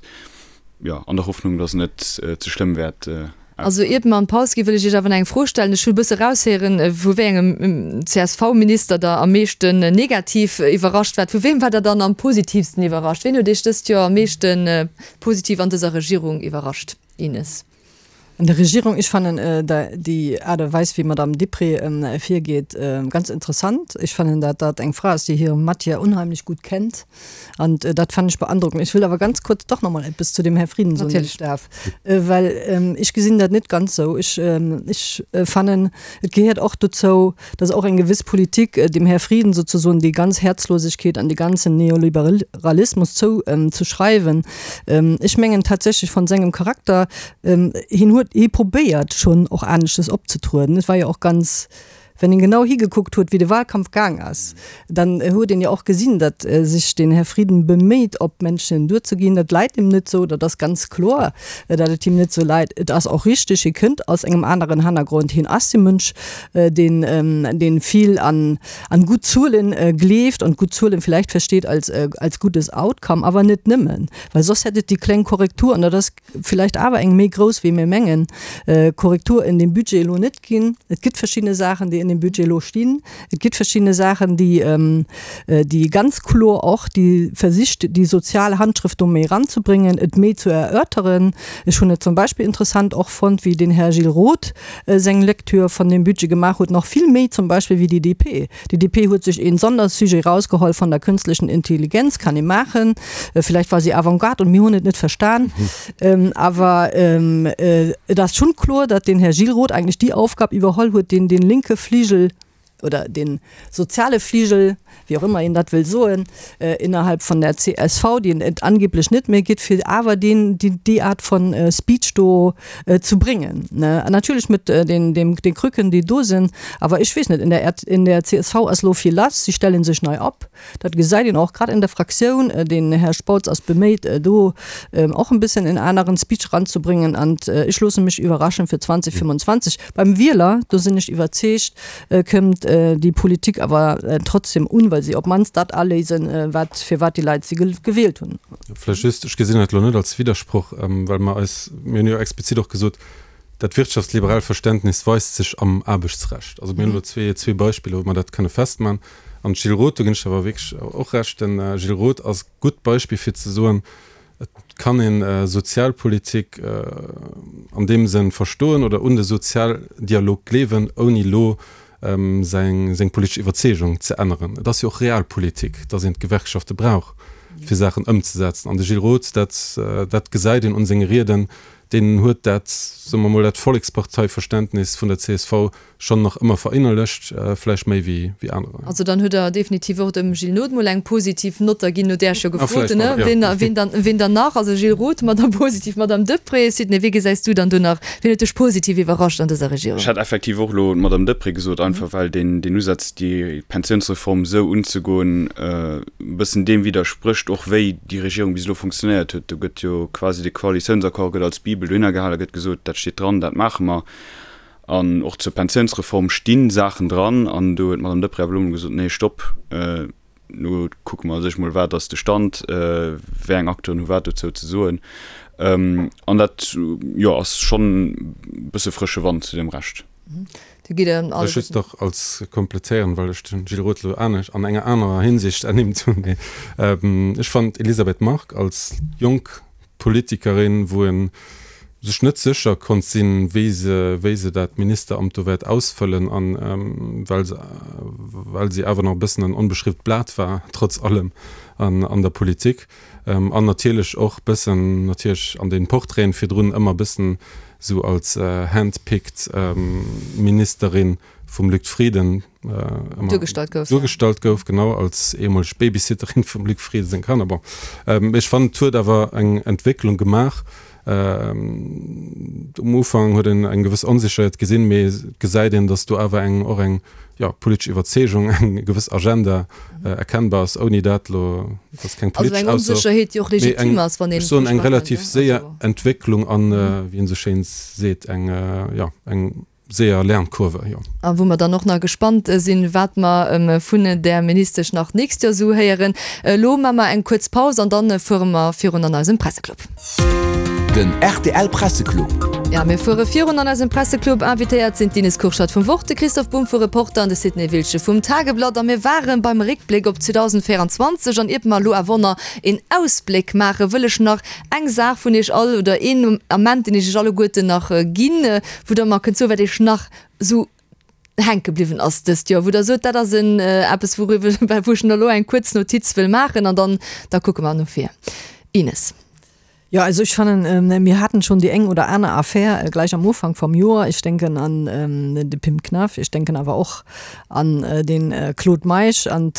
jo, an der Hoffnung, datt et net ze schlëmm wäert Also iert mer an d'Paus ginn, wëll ech Iech awer nach eng Fro stellen. Ech hu e bësse eraushéieren, vu wéi engem CSV-Minister Der am meeschten negativ iwwerrascht waart. Vu weem waart Der dann am positivsten iwwerrascht? Ween huet Iech dëst Joer am meeschte positiv an dëser Regierung iwwerrascht? Ines. An der Regierung, ech fannen déi Aart a Weis, wéi d'Madame Deprez virgeet, ganz interessant. Ech fannen, dat dat eng Fra ass, déi hir Matière unheimlech gutt kennt. An dat fannen ech beandrockend. Ech wëll awer ganz kuerz dach nach mol eppes zu dem Här Frieden soen, wann ech darf. Well ech gesinn dat net ganz esou. Ech, ech fannen, et gehéiert och dozou, dass och eng gewiss Politik dem Här Frieden sozesoen déi ganz Herzlosigkeet an dee ganzen Neoliberalismus zou ze schreiwen. Ech mengen tatsächlech von sengem Charakter, hien huet, hie probéiert schonn och aneschtes opzetrueden. Et war jo och ganz. Wenn een genau higekuckt huet, wéi de Wahlkampf gaang ass, dann huet een jo och gesinn, datt sech den Här Frieden beméit, op d'Menschen duerzeginn. Dat läit him net esou, dat ass ganz kloer, datt et him net esou läit. Et ass och richteg, hie kënnt aus engem aneren Hannergrond, hien ass e Mënsch, deen, deen vill an, an gutt Zuelen gleeft an gutt Zuelen vielleicht versteet als, als gutes Outcome, awer net nëmmen, well soss hätt et déi kleng Korrektur, an dat ass vielleicht awer eng méi grouss wéi mir mengen, Korrektur in dem Budget elo net ginn. Et gëtt verschidde Saachen, déi in dem Budget elo stinn. Et gëtt verschidde Saachen, déi, déi ganz kloer och déi versicht, déi sozial Handschrëft do méi eranzebréngen, et méi ze erörteren. Ech hunn et zum Beispill interessant och fonnt, wéi den Här Gilles Roth seng Lecture von dem Budget gemaach huet, nach vill méi zum Beispill wéi déi DP. Déi DP huet sech een Sondersujet rausgeholl von der künstlichen Intelligenz, kann ee maachen, vielleicht war si Avantgarde und mir hunn et net verstan, awer et ass schonn kloer, datt den Här Gilles Roth eigentlech déi Aufgab iwwerholl huet, deen den linke Fligel oder den soziale Fligel, wéi och ëmmer een dat wëll soen, innerhalb von der csv, déi et angeblech net méi gëtt, fir awer deen, déi Art von Speech do ze bréngen. An natierlech mit den, dem, den Krücken, déi do sinn. Awer ech weess net, in der, in der csv ass elo vill lass, si stelle sech nei op. Dat gesäit een och grad in der Fraktioun. Den Här Spautz ass beméit, do och en bëssen en aneren Speech eranzebréngen. An ech loosse mech iwwerraschen fir 2025. Beim Wieler, do sinn ech iwwerzeegt, kënnt déi Politik awer trotzdem un, well si op d'mannst dat aléisen, wat, fir wat déi Leit si gewielt hunn. Vläicht just, ech gesinn dat elo net als Widdersproch, well mer eis, mir hunn jo explizit och gesot, dat wirtschaftsliberalt Verständnis weist sech am Aarbechtsrecht. Also mir hunn elo zwee Beispiller, wou mer dat kënne festmachen. An Gilles Roth, do ginn ech der awer wierklech och Recht, den Gilles Roth ass e gutt Beispill fir ze soen, et kann ee Sozialpolitik an deem Sënn verstoen oder un de Sozialdialog gleewen, ouni elo seng politesch Iwwerzeegung ze änneren. Et ass jo och Realpolitik, datt een d'Gewerkschafte brauch, fir Saachen ëmzesetzen. An de Gilles Roth, dat, dat gesäit een un senge Rieden, deen huet dat, soe mer mol, dat Volleksparteiverständnis vun der csv schonn nach ëmmer verinnerlecht, vläicht méi wéi wéi anerer. Also dann hutt Der definitiv och dem Gilles Nod mol eng positiv Nott da ginn, no där ech jo gefrot hunn, ne? Ween, ween dann, ween dann nach? Also Gilles Roth, Madame positiv, Madame Deprez. Sidney, wee gesäis du dann do nach, wien huet dech positiv iwwerrascht an dëser Regierung? Ech hätt effektiv och elo d'Madame Deprez gesot, einfach well deen, deen Usaz, déi Pensiounsreform esou unzegoen, e bëssen deem widdersprécht och, wéi déi Regierung bis elo funktionéiert huet. Do gëtt jo quasi de Koalitiounsaccord gëtt als Bibel dohinner gehal a gëtt gesot, dat steet dran, dat maache mer. An och zur Pensiounsreform sti Saachen dran. An do huet d'Madame Deprez awer elo emol gesot, Nee, stopp, elo kucke mer sech mol, wat ass de Stand, wéi eng Acteuren hu wat dozou ze soen. An dat, jo, ass schonn e bësse frësche Wand zu deem Rescht. Ech just nach als kompletéieren, well ech den Gilles Roth elo anescht, an enger anerer Hinsicht ernimmt hunn. Mee ech fannen d'Elisabeth Margue als jonk Politikerin, wou e sech net sécher konnt sinn, wéi se, wéi se dat Ministeramt do wäert ausfëllen, an well se, well si awer nach e bëssen en onbeschriwwt Blat war, trotz allem an, an der Politik, an natierlech och bëssen, natierlech an den Portraiten virdrun ëmmer bëssen esou als handpicked Ministerin vum Luc Frieden ëmmer duergestallt gouf, duergestallt gouf, genau, als ehemolg Babysitterin vum Luc Frieden seng Kanner. Bon, ech fannen, et huet awer eng Entwécklung gemaach. Um Ufank huet een eng gewëss Onsécherheet gesinn, mee et gesäit een, datt do awer eng, och eng, jo, politesch Iwwerzeegung, eng gewëss Agenda erkennbar ass, ouni dat elo, dat ass keng politesch Ausso, mee eng, ech soen, eng relativ séier Entwécklung an, wéi een esou schéin seet, eng, jo, eng séier Lernkurve, jo. A wou mer dann och nach gespannt sinn, wat mer vun där Ministesch nach d'nächst Joer esou héieren. Elo maache mer eng kuerz Paus an dann fuere mer virun an eisem Presseclub. Den rtl Presseclub. Ja, mir fuere virun an eisem Presseclub. Invitéiert sinn d'Ines Kurschat vum Wort, de Christoph Bumb vu Reporter an de Sidney Wiltgen vum Tageblatt. A mir ware beim Réckbléck op 2024. An iert mer elo awer nach een Ausbléck maachen, wëll ech nach eng Saach vun Iech all oder een Ament, deen ech Iech alleguerten nach ginn, wou Der mer kënnt soen, wat Iech nach esou hänke bliwwen ass dëst Joer, wou Der sot, dat ass en eppes, wouriwwer, wou ech elo eng kuerz Notiz wëll maachen an dann, da kucke mer no vir. Ines. Ja, also ech fannen, mir haten schonn déi eng oder aner Affär gleich am Ufank vam Joer. Ech denken an de Pim Knaff, ech denken awer och an den Claude Meisch. An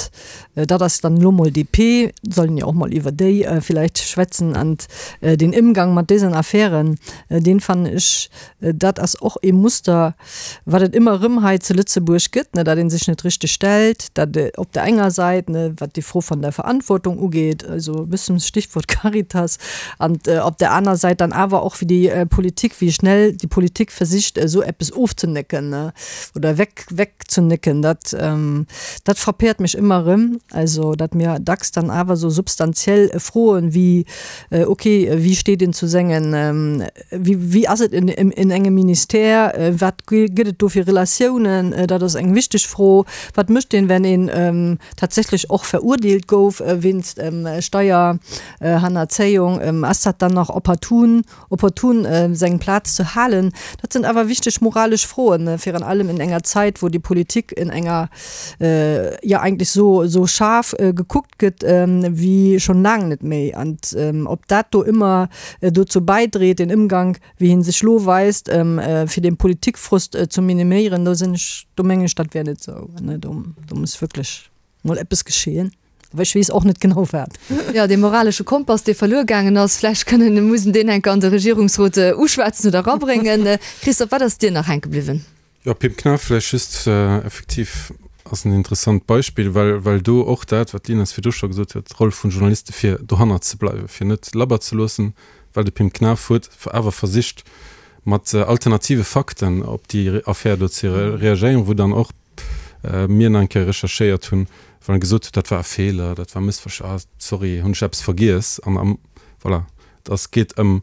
dat ass dann elo mol DP, sollen jo och mol iwwer déi villäicht schwätzen. An den Ëmgang mat desen Affären, deen fannen ech, dat ass och ee Muster, wat et ëmmer erëm hei zu Lëtzebuerg gëtt, ne, datt ee sech net richteg stellt, datt op der enger Säit, ne, wat déi Fro von der Verantwortung ugeet, also e bëssen Stichwort Caritas, an op der aner Säit dann awer och wéi déi Politik, wéi schnell déi Politik versicht esou eppes ofzenécken, ne, oder weg, wegzenécken, dat, dat frappéiert mech ëmmer erëm, also datt mir dacks dann awer esou substantiell Froen wéi, okay, wéi steet een zu sengen, Wéi ass et in engem Ministère? Wat gëtt et do fir Relatiounen? Dat ass eng wichteg Fro. Wat mécht een, wenn een tatsächlech och verurdeelt gouf wéinst Steierhannerzéiung? Ass dat dann nach opportun, opportun seng Plaz ze halen? Dat sinn awer wichteg moralesch Froen, virun allem in enger Zäit, wou déi Politik in enger, jo eigentlech sou schaarf gekuckt gëtt wéi schonn laang net méi. An ob dat do ëmmer dozou bäidreet, den Ëmgank, wéi hie sech lo weist, fir den Politikfrust ze miniméieren, do sinn ech, do mengen ech, dat wär net esou. Do do muss wierklech mol eppes geschehen. Awer ech weess och net genau wat. Jo, dee moralesche Kompass, dee verluer gaangen ass, vläicht kënnen, muss en deen enker an de Regierungsrot uschwätzen oder erabréngen. Christophe, wat ass dir nach hänke bliwwen? Jo, Pim Knaff, vläicht just, effektiv ass en interessant Beispill, well, well do och dat, wat d'Ines virdru scho gesot huet, d'Roll vun Journaliste fir dohannert ze bleiwen, fir net labber ze loossen, well de Pim Knaff huet awer versicht, mat alternative Fakten op déi Affär do ze reagéieren, wou dann och mir nach eng Kéier recherchéiert hunn, well en gesot huet, dat war e Feeler, dat war Mëssversch-, ah sorry, hunn ech eppes vergiess an am, voilà, et ass, geet ëm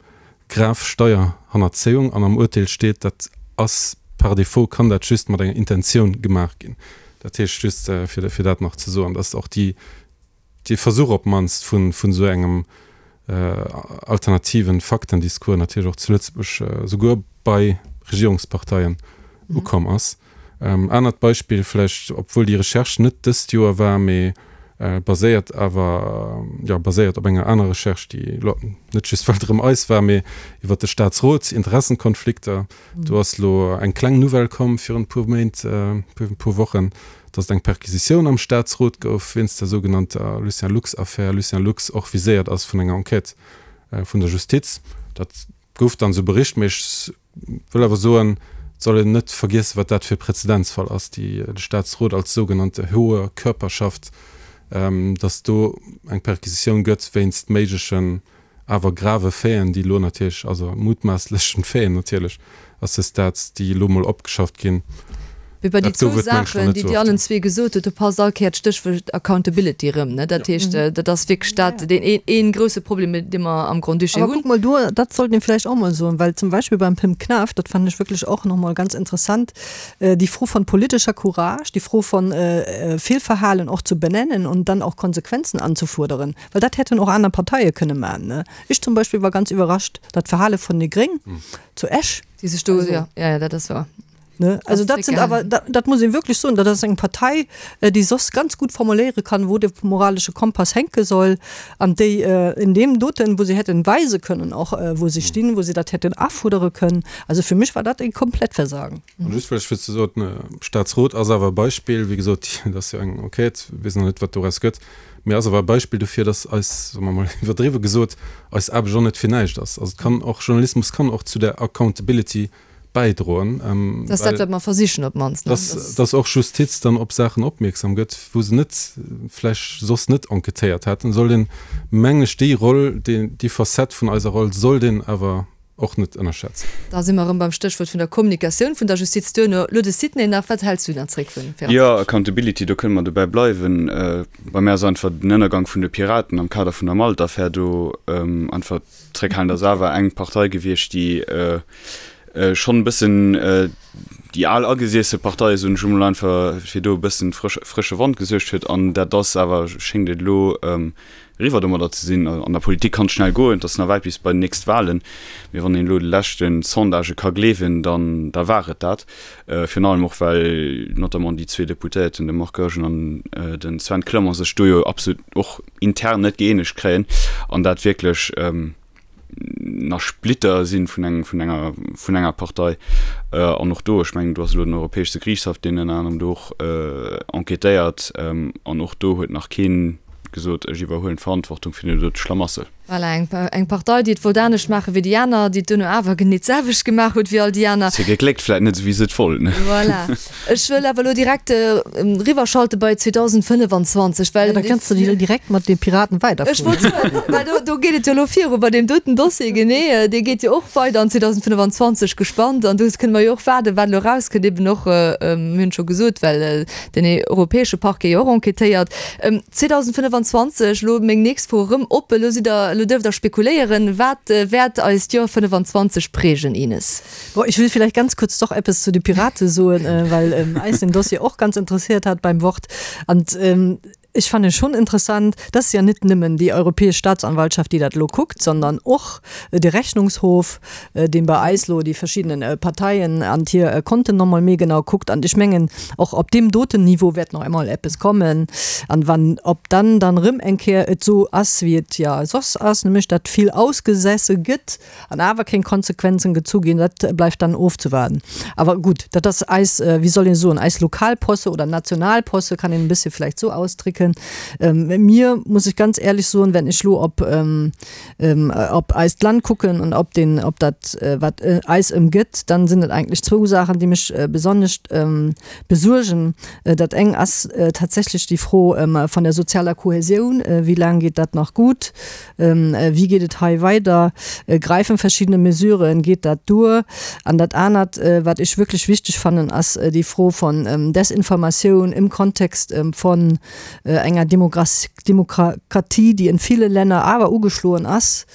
Grav Steierhannerzéiung an am Urteel steet, dat ass par défaut, kann dat just mat enger Intentioun gemaach ginn. Dat heescht, just fir fir dat nach ze soen, dass och déi dee Versuch op d'mannst vun vun esou engem alternativen Faktendiscours natierlech och zu Lëtzebuerg souguer bei Regierungsparteien ukomm ass. Anert Beispill vläicht, obwuel déi Recherche net dëst Joer war, mee baséiert awer, jo, baséiert op enger aner Recherche, déi elo net just well et erëm eis war, mee iwwert de Staatsrot, Interessenkonflikter. Do ass elo eng kleng Nouvelle komm virun e puer Méint, e puer Wochen, datt et eng Perquisitioun am Staatsrot gouf wéinst der sougenannter Lucien Lux-Affär. Lucien Lux och viséiert ass vun enger Enquête vun der Justiz. Dat gouf dann esou bericht, mee ech wëll awer soen, et soll een net vergiessen, wat dat fir e Präzedenzfall ass, déi de Staatsrot als sougenannte hohe Körperschaft, datt do eng Perquisitioun gëtt wéinst méiglechen, awer grave Faiten, déi elo natierlech, also mutmaßlechen Faiten natierlech à ce stade, déi elo mol opgeschafft ginn. Mee bei déi zwou Saachen, déi Dir allen zwee gesot hutt, do passt all Kéier d'Stéchwuert Accountability erëm, ne? Dat heescht, dat ass wierklech dat, deen een, een grouse Problem, dee mer am Grand-Duché hunn. Awer kuck mol do, dat sollt een vläicht och mol soen, well zum Beispill beim Pim Knaff, dat fannen ech wierklech och nach mol ganz interessant, déi Fro von politescher Courage, déi Fro von Fehlverhalen och zu benennen und dann och Konsequenzen anzufuerderen, well dat hätten och aner Parteie kënne maachen, ne? Ech zum Beispill war ganz iwwerrascht, dat Verhale von déi Gréng zu Esch. Déi sech do, jo, jo, jo, dat ass wahr. Ne? Also dat sind awer, dat, dat muss een wierklech soen, dat ass eng Partei, déi soss ganz gutt formuléiere kann, wou de moralesche Kompass hänke soll an déi in deem doten, wou se hätten weise kënnen och, wou se stinn, wou se dat hätten afuerdere kënnen. Also fir mech war dat e komplett Versagen. An just vläicht fir ze soen, Staatsrot ass awer e Beispill, wéi gesot, dat ass jo eng Enquête, weess nach net, wat doraus gëtt, mee ass awer e Beispill dofir, datt eis, soe mer mol iwwerdriwwe gesot, eis Aarbecht och net fir näischt ass. Also et kann och, Journalismus kann och zu der Accountability bäidroen. Dat ass dat, wat mer versichen op d'mannst. Dass, dass och Justiz dann op Saachen opmierksam gëtt, wou se net, vläch soss net enquêtéiert hätten, sollt een, mengen ech, déi Roll, déi, déi Facette vun eiser Roll sollt een awer och net ënnerschätzen. Da si mer erëm beim Stéchwuert vun der Kommunikatioun vun der Justiz duerno. Elo de Sidney nach. Wat häls du nach zréck vun 24? Jo, Accountability, do kënne mer dobäi bleiwen. Bei mär ass einfach den Ënnergang vun de Piraten am Kader vun der Malt-Affär do einfach Zréckhalend ass awer eng Partei gewiescht, déi schonn e bëssen déi al agesiesse Partei, soen ech emol einfach, fir do e bëssen frësche Wand gesuergt huet. An dat ass awer, schéngt et elo eriwwer domadder ze sinn. An der Politik kann et schnell goen, et ass nach wäit bis bei den nächst Wahlen, mee wann een elo de leschte Sondagë ka gleewen, dann da war et dat. Virun allem och well notamment déi zwee Deputéierten, de Marc Goergen an de Sven Clement, sech do jo absolut och intern net gëeenegt kréien an dat wierklech. nach Splitter si vun engem, vun enger, vun enger Partei. An och do, ech mengen, do ass elo den Europäesche Geriichtshaff, deen ënner anerem do och enquêtéiert, an och do huet nach keen gesot, ech iwwerhuelen d'Verantwortung fir deen dote Schlamassel. Voilà, eng, eng Partei, déi et wollt anescht maache wéi déi aner, déi et duerno awer genee d'selwecht gemaach huet wéi all déi aner. Se gegléckt vläit net esou, wéi se et wollten. Voilà. Ech wëll awer elo direkt eriwwerschalte bei 2025, well. Ja, da kënns de direkt mat de Piraten weiderfueren. Ech wollt soen, well do, do geet et jo elo viru bei deem doten Dossier, genee. Dee geet jo och weider an 2025, gespannt. An do kënne mer jo och waarden, wat elo erauskënnt, eben och, mir hunn et scho gesot, well den europäesche Parquet jo och enquêtéiert. 2025, elo meng nächst Fro erëm op, elo sidd Der, elo duerft Der spekuléieren, wat wäert eist Joer 25 prägen, Ines? Bon, ich will vielleicht ganz kurz doch eppes zu de Pirate soen, well eis den Dossier och ganz interessiert hat beim Wort. An ech fanne schon interessant, dass ja net nëmmen déi Europäesch Staatsanwaltschaft, déi dat elo kuckt, sondern och de Rechnungshof, deen bei eis lo déi verschiddenen Parteien an hir Konten noch mol méi genau kuckt. An ech mengen, och op deem doten Niveau wäert nach emol eppes kommen. An wann, ob dann dann erëm eng Kéier et esou ass, wéi et jo soss ass, nämlech datt vill ausgesesse gëtt an awer keng Konsequenzen gezu ginn, dat bleift dann ofzewaarden. Awer gutt, dat ass eis, wéi soll een soen, eis Lokalposse oder Nationalposse, kann een e bëssche vläicht esou ausdrécken. Mir, muss ech ganz éierlech soen, wenn ech lo op, op eist Land kucken an op den, op dat, wat eis ëmgëtt, dann sinn et eigentlech zwou Saachen, déi mech besonnesch besuergen. Dat eng ass tatsächlech déi Fro vun der sozialer Kohäsioun. Wéi laang geet dat nach gutt? Wéi geet et hei weider? Gräifen verschiddene Mesuren? Geet dat duer? An dat anert, wat ech wierklech wichteg fannen, ass déi Fro von Desinformatioun im Kontext von enger Demokratie, déi in ville Länner awer ugeschloen ass,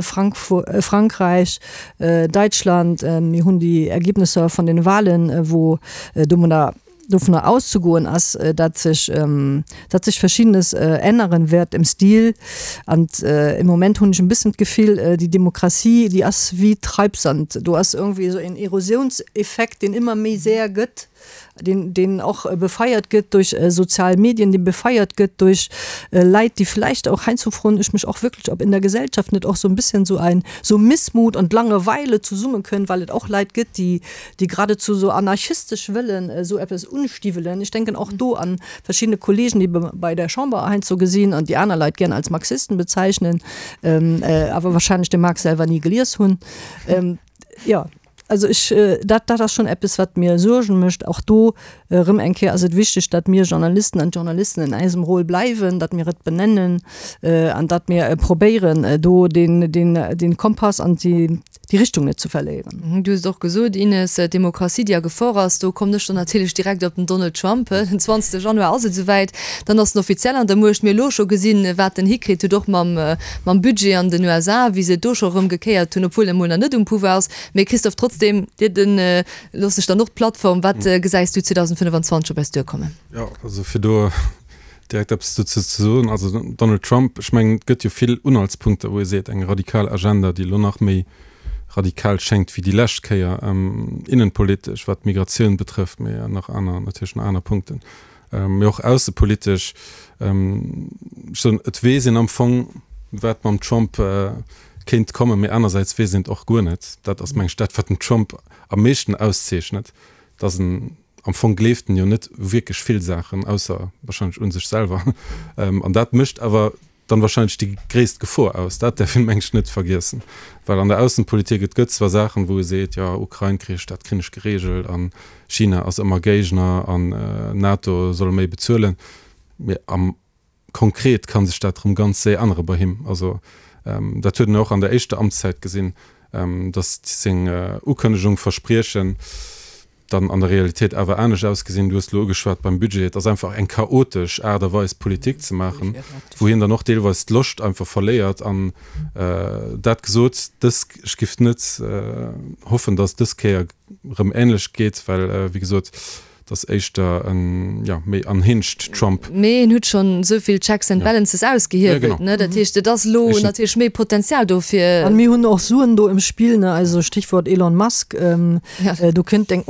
Frankräich, Däitschland, mir hunn déi Ergebnisser vun den Wahlen, wou domadder dovunner auszegoen ass, datt sech, datt sech Verschiddenes änneren wäert im Stil. An im Moment hunn ech en bëssen d'Gefill, déi Demokratie, déi ass wéi Treibsand, do ass irgendwie esou en Erosionseffekt, deen ëmmer méi séier gëtt. deen, deen och befeiert gëtt duerch sozial Medien, dee befeiert gëtt duerch Leit, déi vläicht och, heiansdo froen ech mech och wierklech, ob in der Gesellschaft net och sou en bisschen sou ein, sou Missmut und Langeweile zesummekënnt, well et och Leit gëtt, déi, déi geradezu sou anarchistesch wëllen esou eppes unstiwwelen. Ech denken och do an verschiddene Kollegen, déi bei der Chamber heiansdo gesinn an déi aner Leit gären als Marxisten bezeichnen, awer wahrscheinlech de Marx selwer ni gelies hunn. Jo. Also ech, dat, dat ass schonn eppes, wat mir Suergen mécht. Och do erëm eng Kéier ass et wichteg, datt mir Journalisten an Journalisten in eisem Rôle bleiwen, datt mir et benennen an datt mir probéieren, do den, den, den Kompass an déi, déi Richtung net ze verléieren. Du hues et och gesot, Ines, d'Demokratie, déi a Gefor ass. Do kommen ech dann natierlech direkt op den Donald Trump. Den 20 Januar ass et esouwäit, dann ass en offiziell an der Muecht. Mir hu elo scho gesinn, wat en hikritt huet, och mam, mam Budget an den USA, wéi se et do scho erëm gekéiert hunn, obwuel en emol nach net um Pouvoir ass. Mee Christophe, trotzdem, dir den looss ech dann och d'Plattform. Wat gesäis du 2025 op eis duerkommen? Jo, also fir do direkt eppes dozou ze soen, also Donald Trump, ech mengen, et gëtt jo vill Unhaltspunkter, wou ee seet, eng radikal Agenda, déi elo nach méi radikal schéngt wéi déi lescht Kéier, innenpolitesch, wat d'Migratioun betrëfft, mee nach aner, natierlech nach aner Punkten. Mee och aussepolitesch, ech soen, et weess een am Fong, wat mam Trump kéint kommen, mee anersäits weess een et och guer net. Dat ass, meng ech, dat, wat den Trump am meeschten auszeechnet, dass en am Fong gleeft en jo net u wierklech vill Saachen, ausser wahrscheinlech u sech selwer. An dat mécht awer dann wahrscheinlech déi gréisst Gefor aus. Dat däerf een, meng ech, net vergiessen, well an der Aussenpolitik, et gëtt zwar Saachen, wou e seet, jo, Ukrain-Krich, dat kréien ech geregelt an China ass ëmmer Géigner an NATO soll méi bezuelen, mee am konkret ka sech dat erëm ganz séier ännere bei him. Also dat huet een och an der éischter Amtszäit gesinn, datt seng Ukënnegung, Verspriechen, dann an der Realitéit awer anescht ausgesinn. Du hues elo ugeschwat beim Budget, et ass einfach eng chaotesch Aart a Weis Politik ze maachen, wou hien dann och deelweis d'Loscht einfach verléiert. An dat gesot, dës, ech giff net hoffen, datt dës Kéier erëm änlech geet, well wéi gesot, et ass éischter en, jo, méi unhinged Trump. Mee en huet schonn esou vill Checks and Balances ausgehiewelt, ne? Dat heescht, et ass elo natierlech méi Potenzial do fir. An mir hunn och Suen do im Spill, ne? Also Stichwort Elon Musk. Do kënnt eng.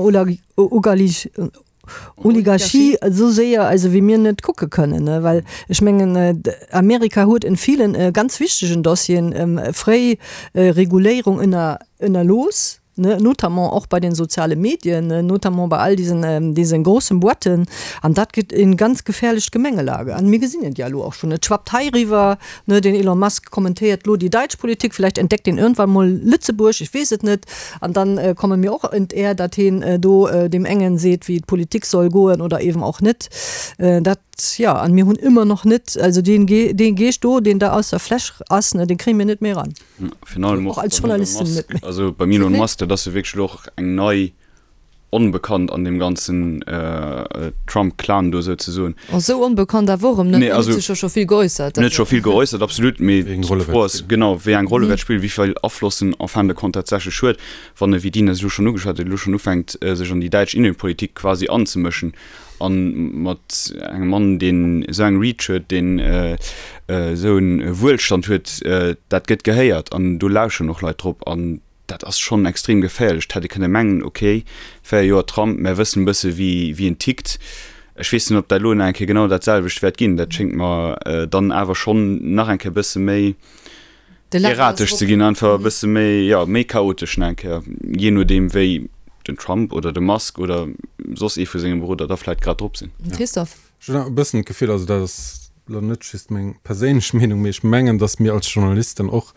Oligarchie esou séier also wéi mir net kucke kënnen, well ech mengen Amerika huet en villen ganz wichtegen Dossieren fréi Reguléierung ënner ënnerlooss, notamment och bei den soziale Medien, notamment bei all diesen diesen großen Boîten an dat gëtt en ganz gefährlecht Gemengelage an mir gesinn et ja elo och schonn, et schwappt heiriwwer, den Elon Musk kommentéiert elo déi däitsch Politik, vielleicht entdeckt en irgendwann mol Lëtzebuerg, ech weess et net. An dann komme mir och ent Är, datt heen do deem engen seet, wéi d'Politik soll goen oder eeben och net. Dat, jo, an mir hunn ëmmer noch net, also deen Ge, dee Geescht do, deen da aus der Fläsch ass, ne, dee kréie mir net méi eran. Virun allem Och och als beim Elon Journalisten Musk, net méi. also beim Elon Musk, dat ass jo wierklech elo och eng nei Onbekannt an deem ganzen Trump-Clan do souzesoen. Oh, sou onbekannt awer och erëm net. Nee, En huet also, sech jo scho vill geäussert. En huet scho vill geäussert, absolut, mee Wéi eng Roll e d'Fro wäert ass, spillen. genau, wéi eng Roll e wäert spillen, wéi vill Afloss en en fin de compte tatsächlech huet, wann e, wéi d'Ines elo schonn ugeschwat huet, elo schonn ufänkt, sech an déi däitsch Innenpolitik quasi anzemëschen. A mat engem Mann, deen esou eng Reach huet, deen esou e Wuelstand huet, dat gëtt gehéiert an do lauscheren och Leit drop. An Dat ass schonn extrem geféierlech. Et hätt ee kënne mengen, ok, 4 Joer Trump, mär wëssen e bësse wéi wéi en tickt. Ech weess net, ob dat elo nach eng Kéier genau dat selwecht wäert ginn. Dat schéngt mer dann awer schonn nach eng Kéier e bësse méi erratesch ze ginn, einfach e bësse méi, jo, méi chaotesch nach eng Kéier, jee nodeem wéi den Trump oder de Musk oder soss ee vu senge Beroder da vläicht grad drop sinn. Christophe. Ech hunn e bëssen d'Gefill, also dat ass elo net just meng perséinlech Meenung, mee ech mengen, datt mir als Journalisten och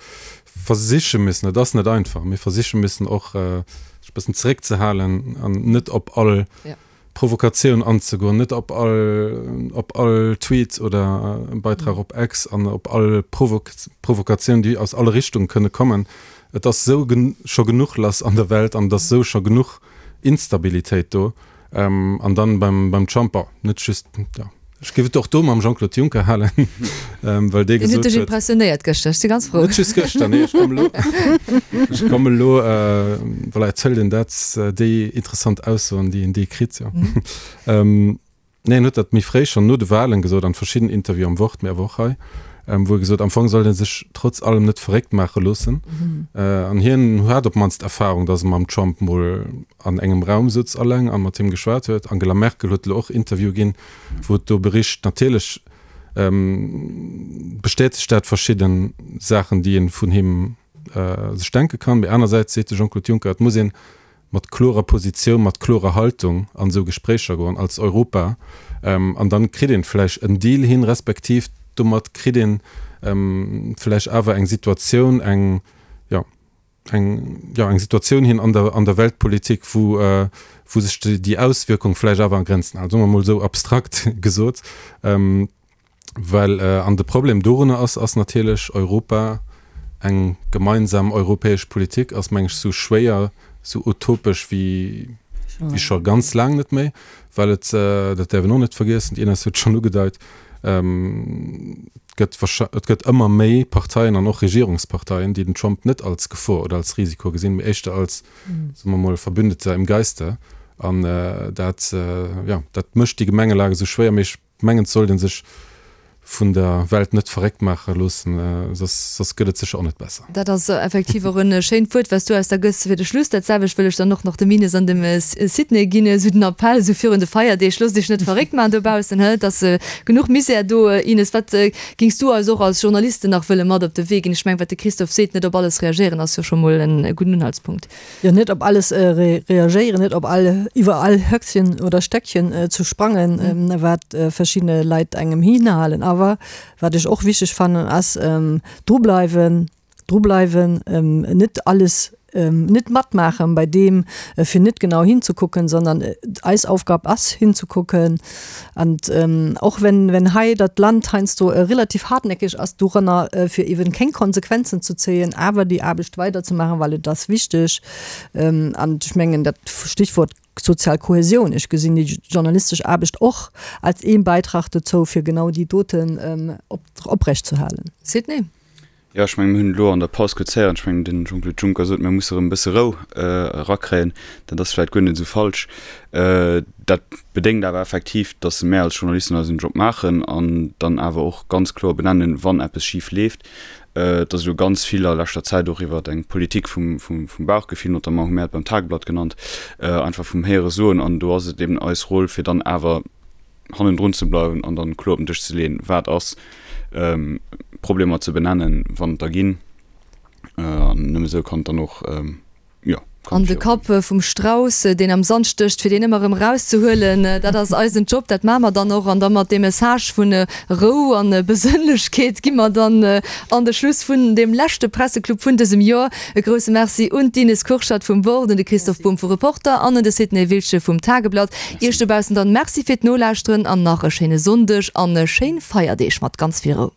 versiche müssen, et ass net einfach, mee versiche müssen och sech e bëssen zeréckzehalen an net op all Provokatioun anzegoen, net op all op all Tweet oder Beitrag op X an op all Provokatioun, déi aus alle Richtunge kënne kommen. Et ass esou scho genuch lass an der Welt an et ass esou scho genuch Instabilitéit do. An dann beim, beim Trump, bon, net just, ja, ech géif et och do mam Jean-Claude Juncker halen, well dee Deen huet gesot dech huet, impressionéiert gëschter, ech si ganz frou. Net just gëschter, nee, ech komme lo, ech komme lo, voilà, et hëlt een dat, déi interessant Aussoen, déi een dee kritt, jo. Nee, en huet dat méi fréi schonn no de Wahlen gesot, an verschidden Interviewen am Wort, mee awer och hei, wou e gesot, am Fong sollt ee sech trotz allem net verréckt maache loossen. An hien hat op d'mannst Erfahrung, datt e mam Trump mol an engem Raum souz alleng a mat him geschwat huet. Angela Merkel huet elo och Interviewe ginn, wou et do bericht. Natierlech bestätegt dat verschidde Saachen, déi ee vun him sech denke kann. Mee anersäits seet de Jean-Claude Juncker, et muss een mat klorer Positioun, mat klorer Haltung an esou Gespréicher goen als Europa an dann kritt een vläicht en Deal hin, respektiv domat kritt een vläicht awer eng Situatioun, eng, jo, eng, jo, eng Situatioun hin an der, an der Weltpolitik, wou, wou sech déi Auswierkung vläicht awer a Grenzen hält, soe mer emol esou abstrakt gesot. Well, an de Problem dorunner ass, ass natierlech Europa, eng gemeinsam europäesch Politik ass, meng ech, esou schwéier, esou utopesch wéi wéi scho ganz laang net méi, well et, dat däerf een och net vergiessen, d'Ines huet et schonn ugedeit, gëtt wahrschei, et gëtt ëmmer méi Parteien an och Regierungsparteien, déi den Trump net als Gefor oder als Risiko gesinn, mee éischter als, soe mer mol, Verbündeter im Geiste. An dat, jo, dat mécht déi Gemengelage esou schwéier. Mee ech Mengen et sollt een sech vun der Welt net verréckt maache loossen, soss soss gëtt et sécher och net besser. Dat ass effektiv och en schéint Wuert, wat s du eis da gëss fir de Schluss. Dat selwecht wëll ech dann och nach dem Ines an dem Sidney ginn, esou den Appell esou virun de Feierdeeg, Loosst iech net verréckt maachen dobaussen, hë, et ass genuch Misär do. Ines, wat gings du eis och als Journalisten nach wëlle mat op de Wee ginn? Ech mengen, wat de Christophe seet, net op alles reagéieren, ass jo scho mol en gudden Unhaltspunkt. Jo, net op alles reagéieren, net op all, iwwer all Höckchen oder Steckchen ze sprangen, wat verschidde Leit engem hinhalen. Awer wat ech och wichteg fannen, ass drubleiwen, drubleiwen, net alles, net matmaachen bei deem, fir net genau hinzekucken, sondern eis Aufgab ass hinzekucken. An och wenn, wenn hei dat Land heiansdo relativ hartnäckig ass doranner, fir eeben keng Konsequenzen ze zéien, awer déi Aarbecht weiderzemaachen, well et ass wichteg. An ech mengen, dat Stichwort sozial Kohäsion, ech gesinn déi journalistesch Aarbecht och als ee Beitrag dozou, fir genau déi doten oprechtzuerhalen. Sidney? Jo, ech mengen, mir hunn elo an der Paus kuerz héieren, ech mengen, den Jean-Claude Juncker sot, mir musse erëm e bësse Rou erakréien. Dat ass vläicht guer net esou falsch. Dat bedéngt awer effektiv, datt mär als Journalisten eisen Job maachen an dann awer och ganz kloer benennen, wann eppes schif leeft. Et ass elo ganz vill a leschter Zäit och iwwer eng Politik vum Bauchgefill, notamment hu mär et beim Tageblatt genannt, einfach vum Héiere soen. An do ass et eben eis Roll, fir dann awer hannendrun ze bleiwen an dann kloer op den Dësch ze leeën, wat ass, Problemer ze benennen, wann et der ginn. An nëmme esou kann et dann och, jo, kann An de Kapp vum Strauss, deen am Sand stécht, fir deen ëmmer erëm erauszehuelen, dat ass eisen Job, dat maache mer dann och. An da mat deem Message vu Rou an Besënnlechkeet gi mer dann an de Schluss vun deem leschte Presseclub vun dësem Joer. E grousse Merci un d'Ines Kurschat vum Wort, un de Christoph Bumb vu Reporter an un de Sidney Wiltgen vum Tageblatt. Iech dobaussen dann Merci fir d'Nolauschteren an nach e schéine Sonndeg an schéin Feierdeeg mat ganz vill Rou.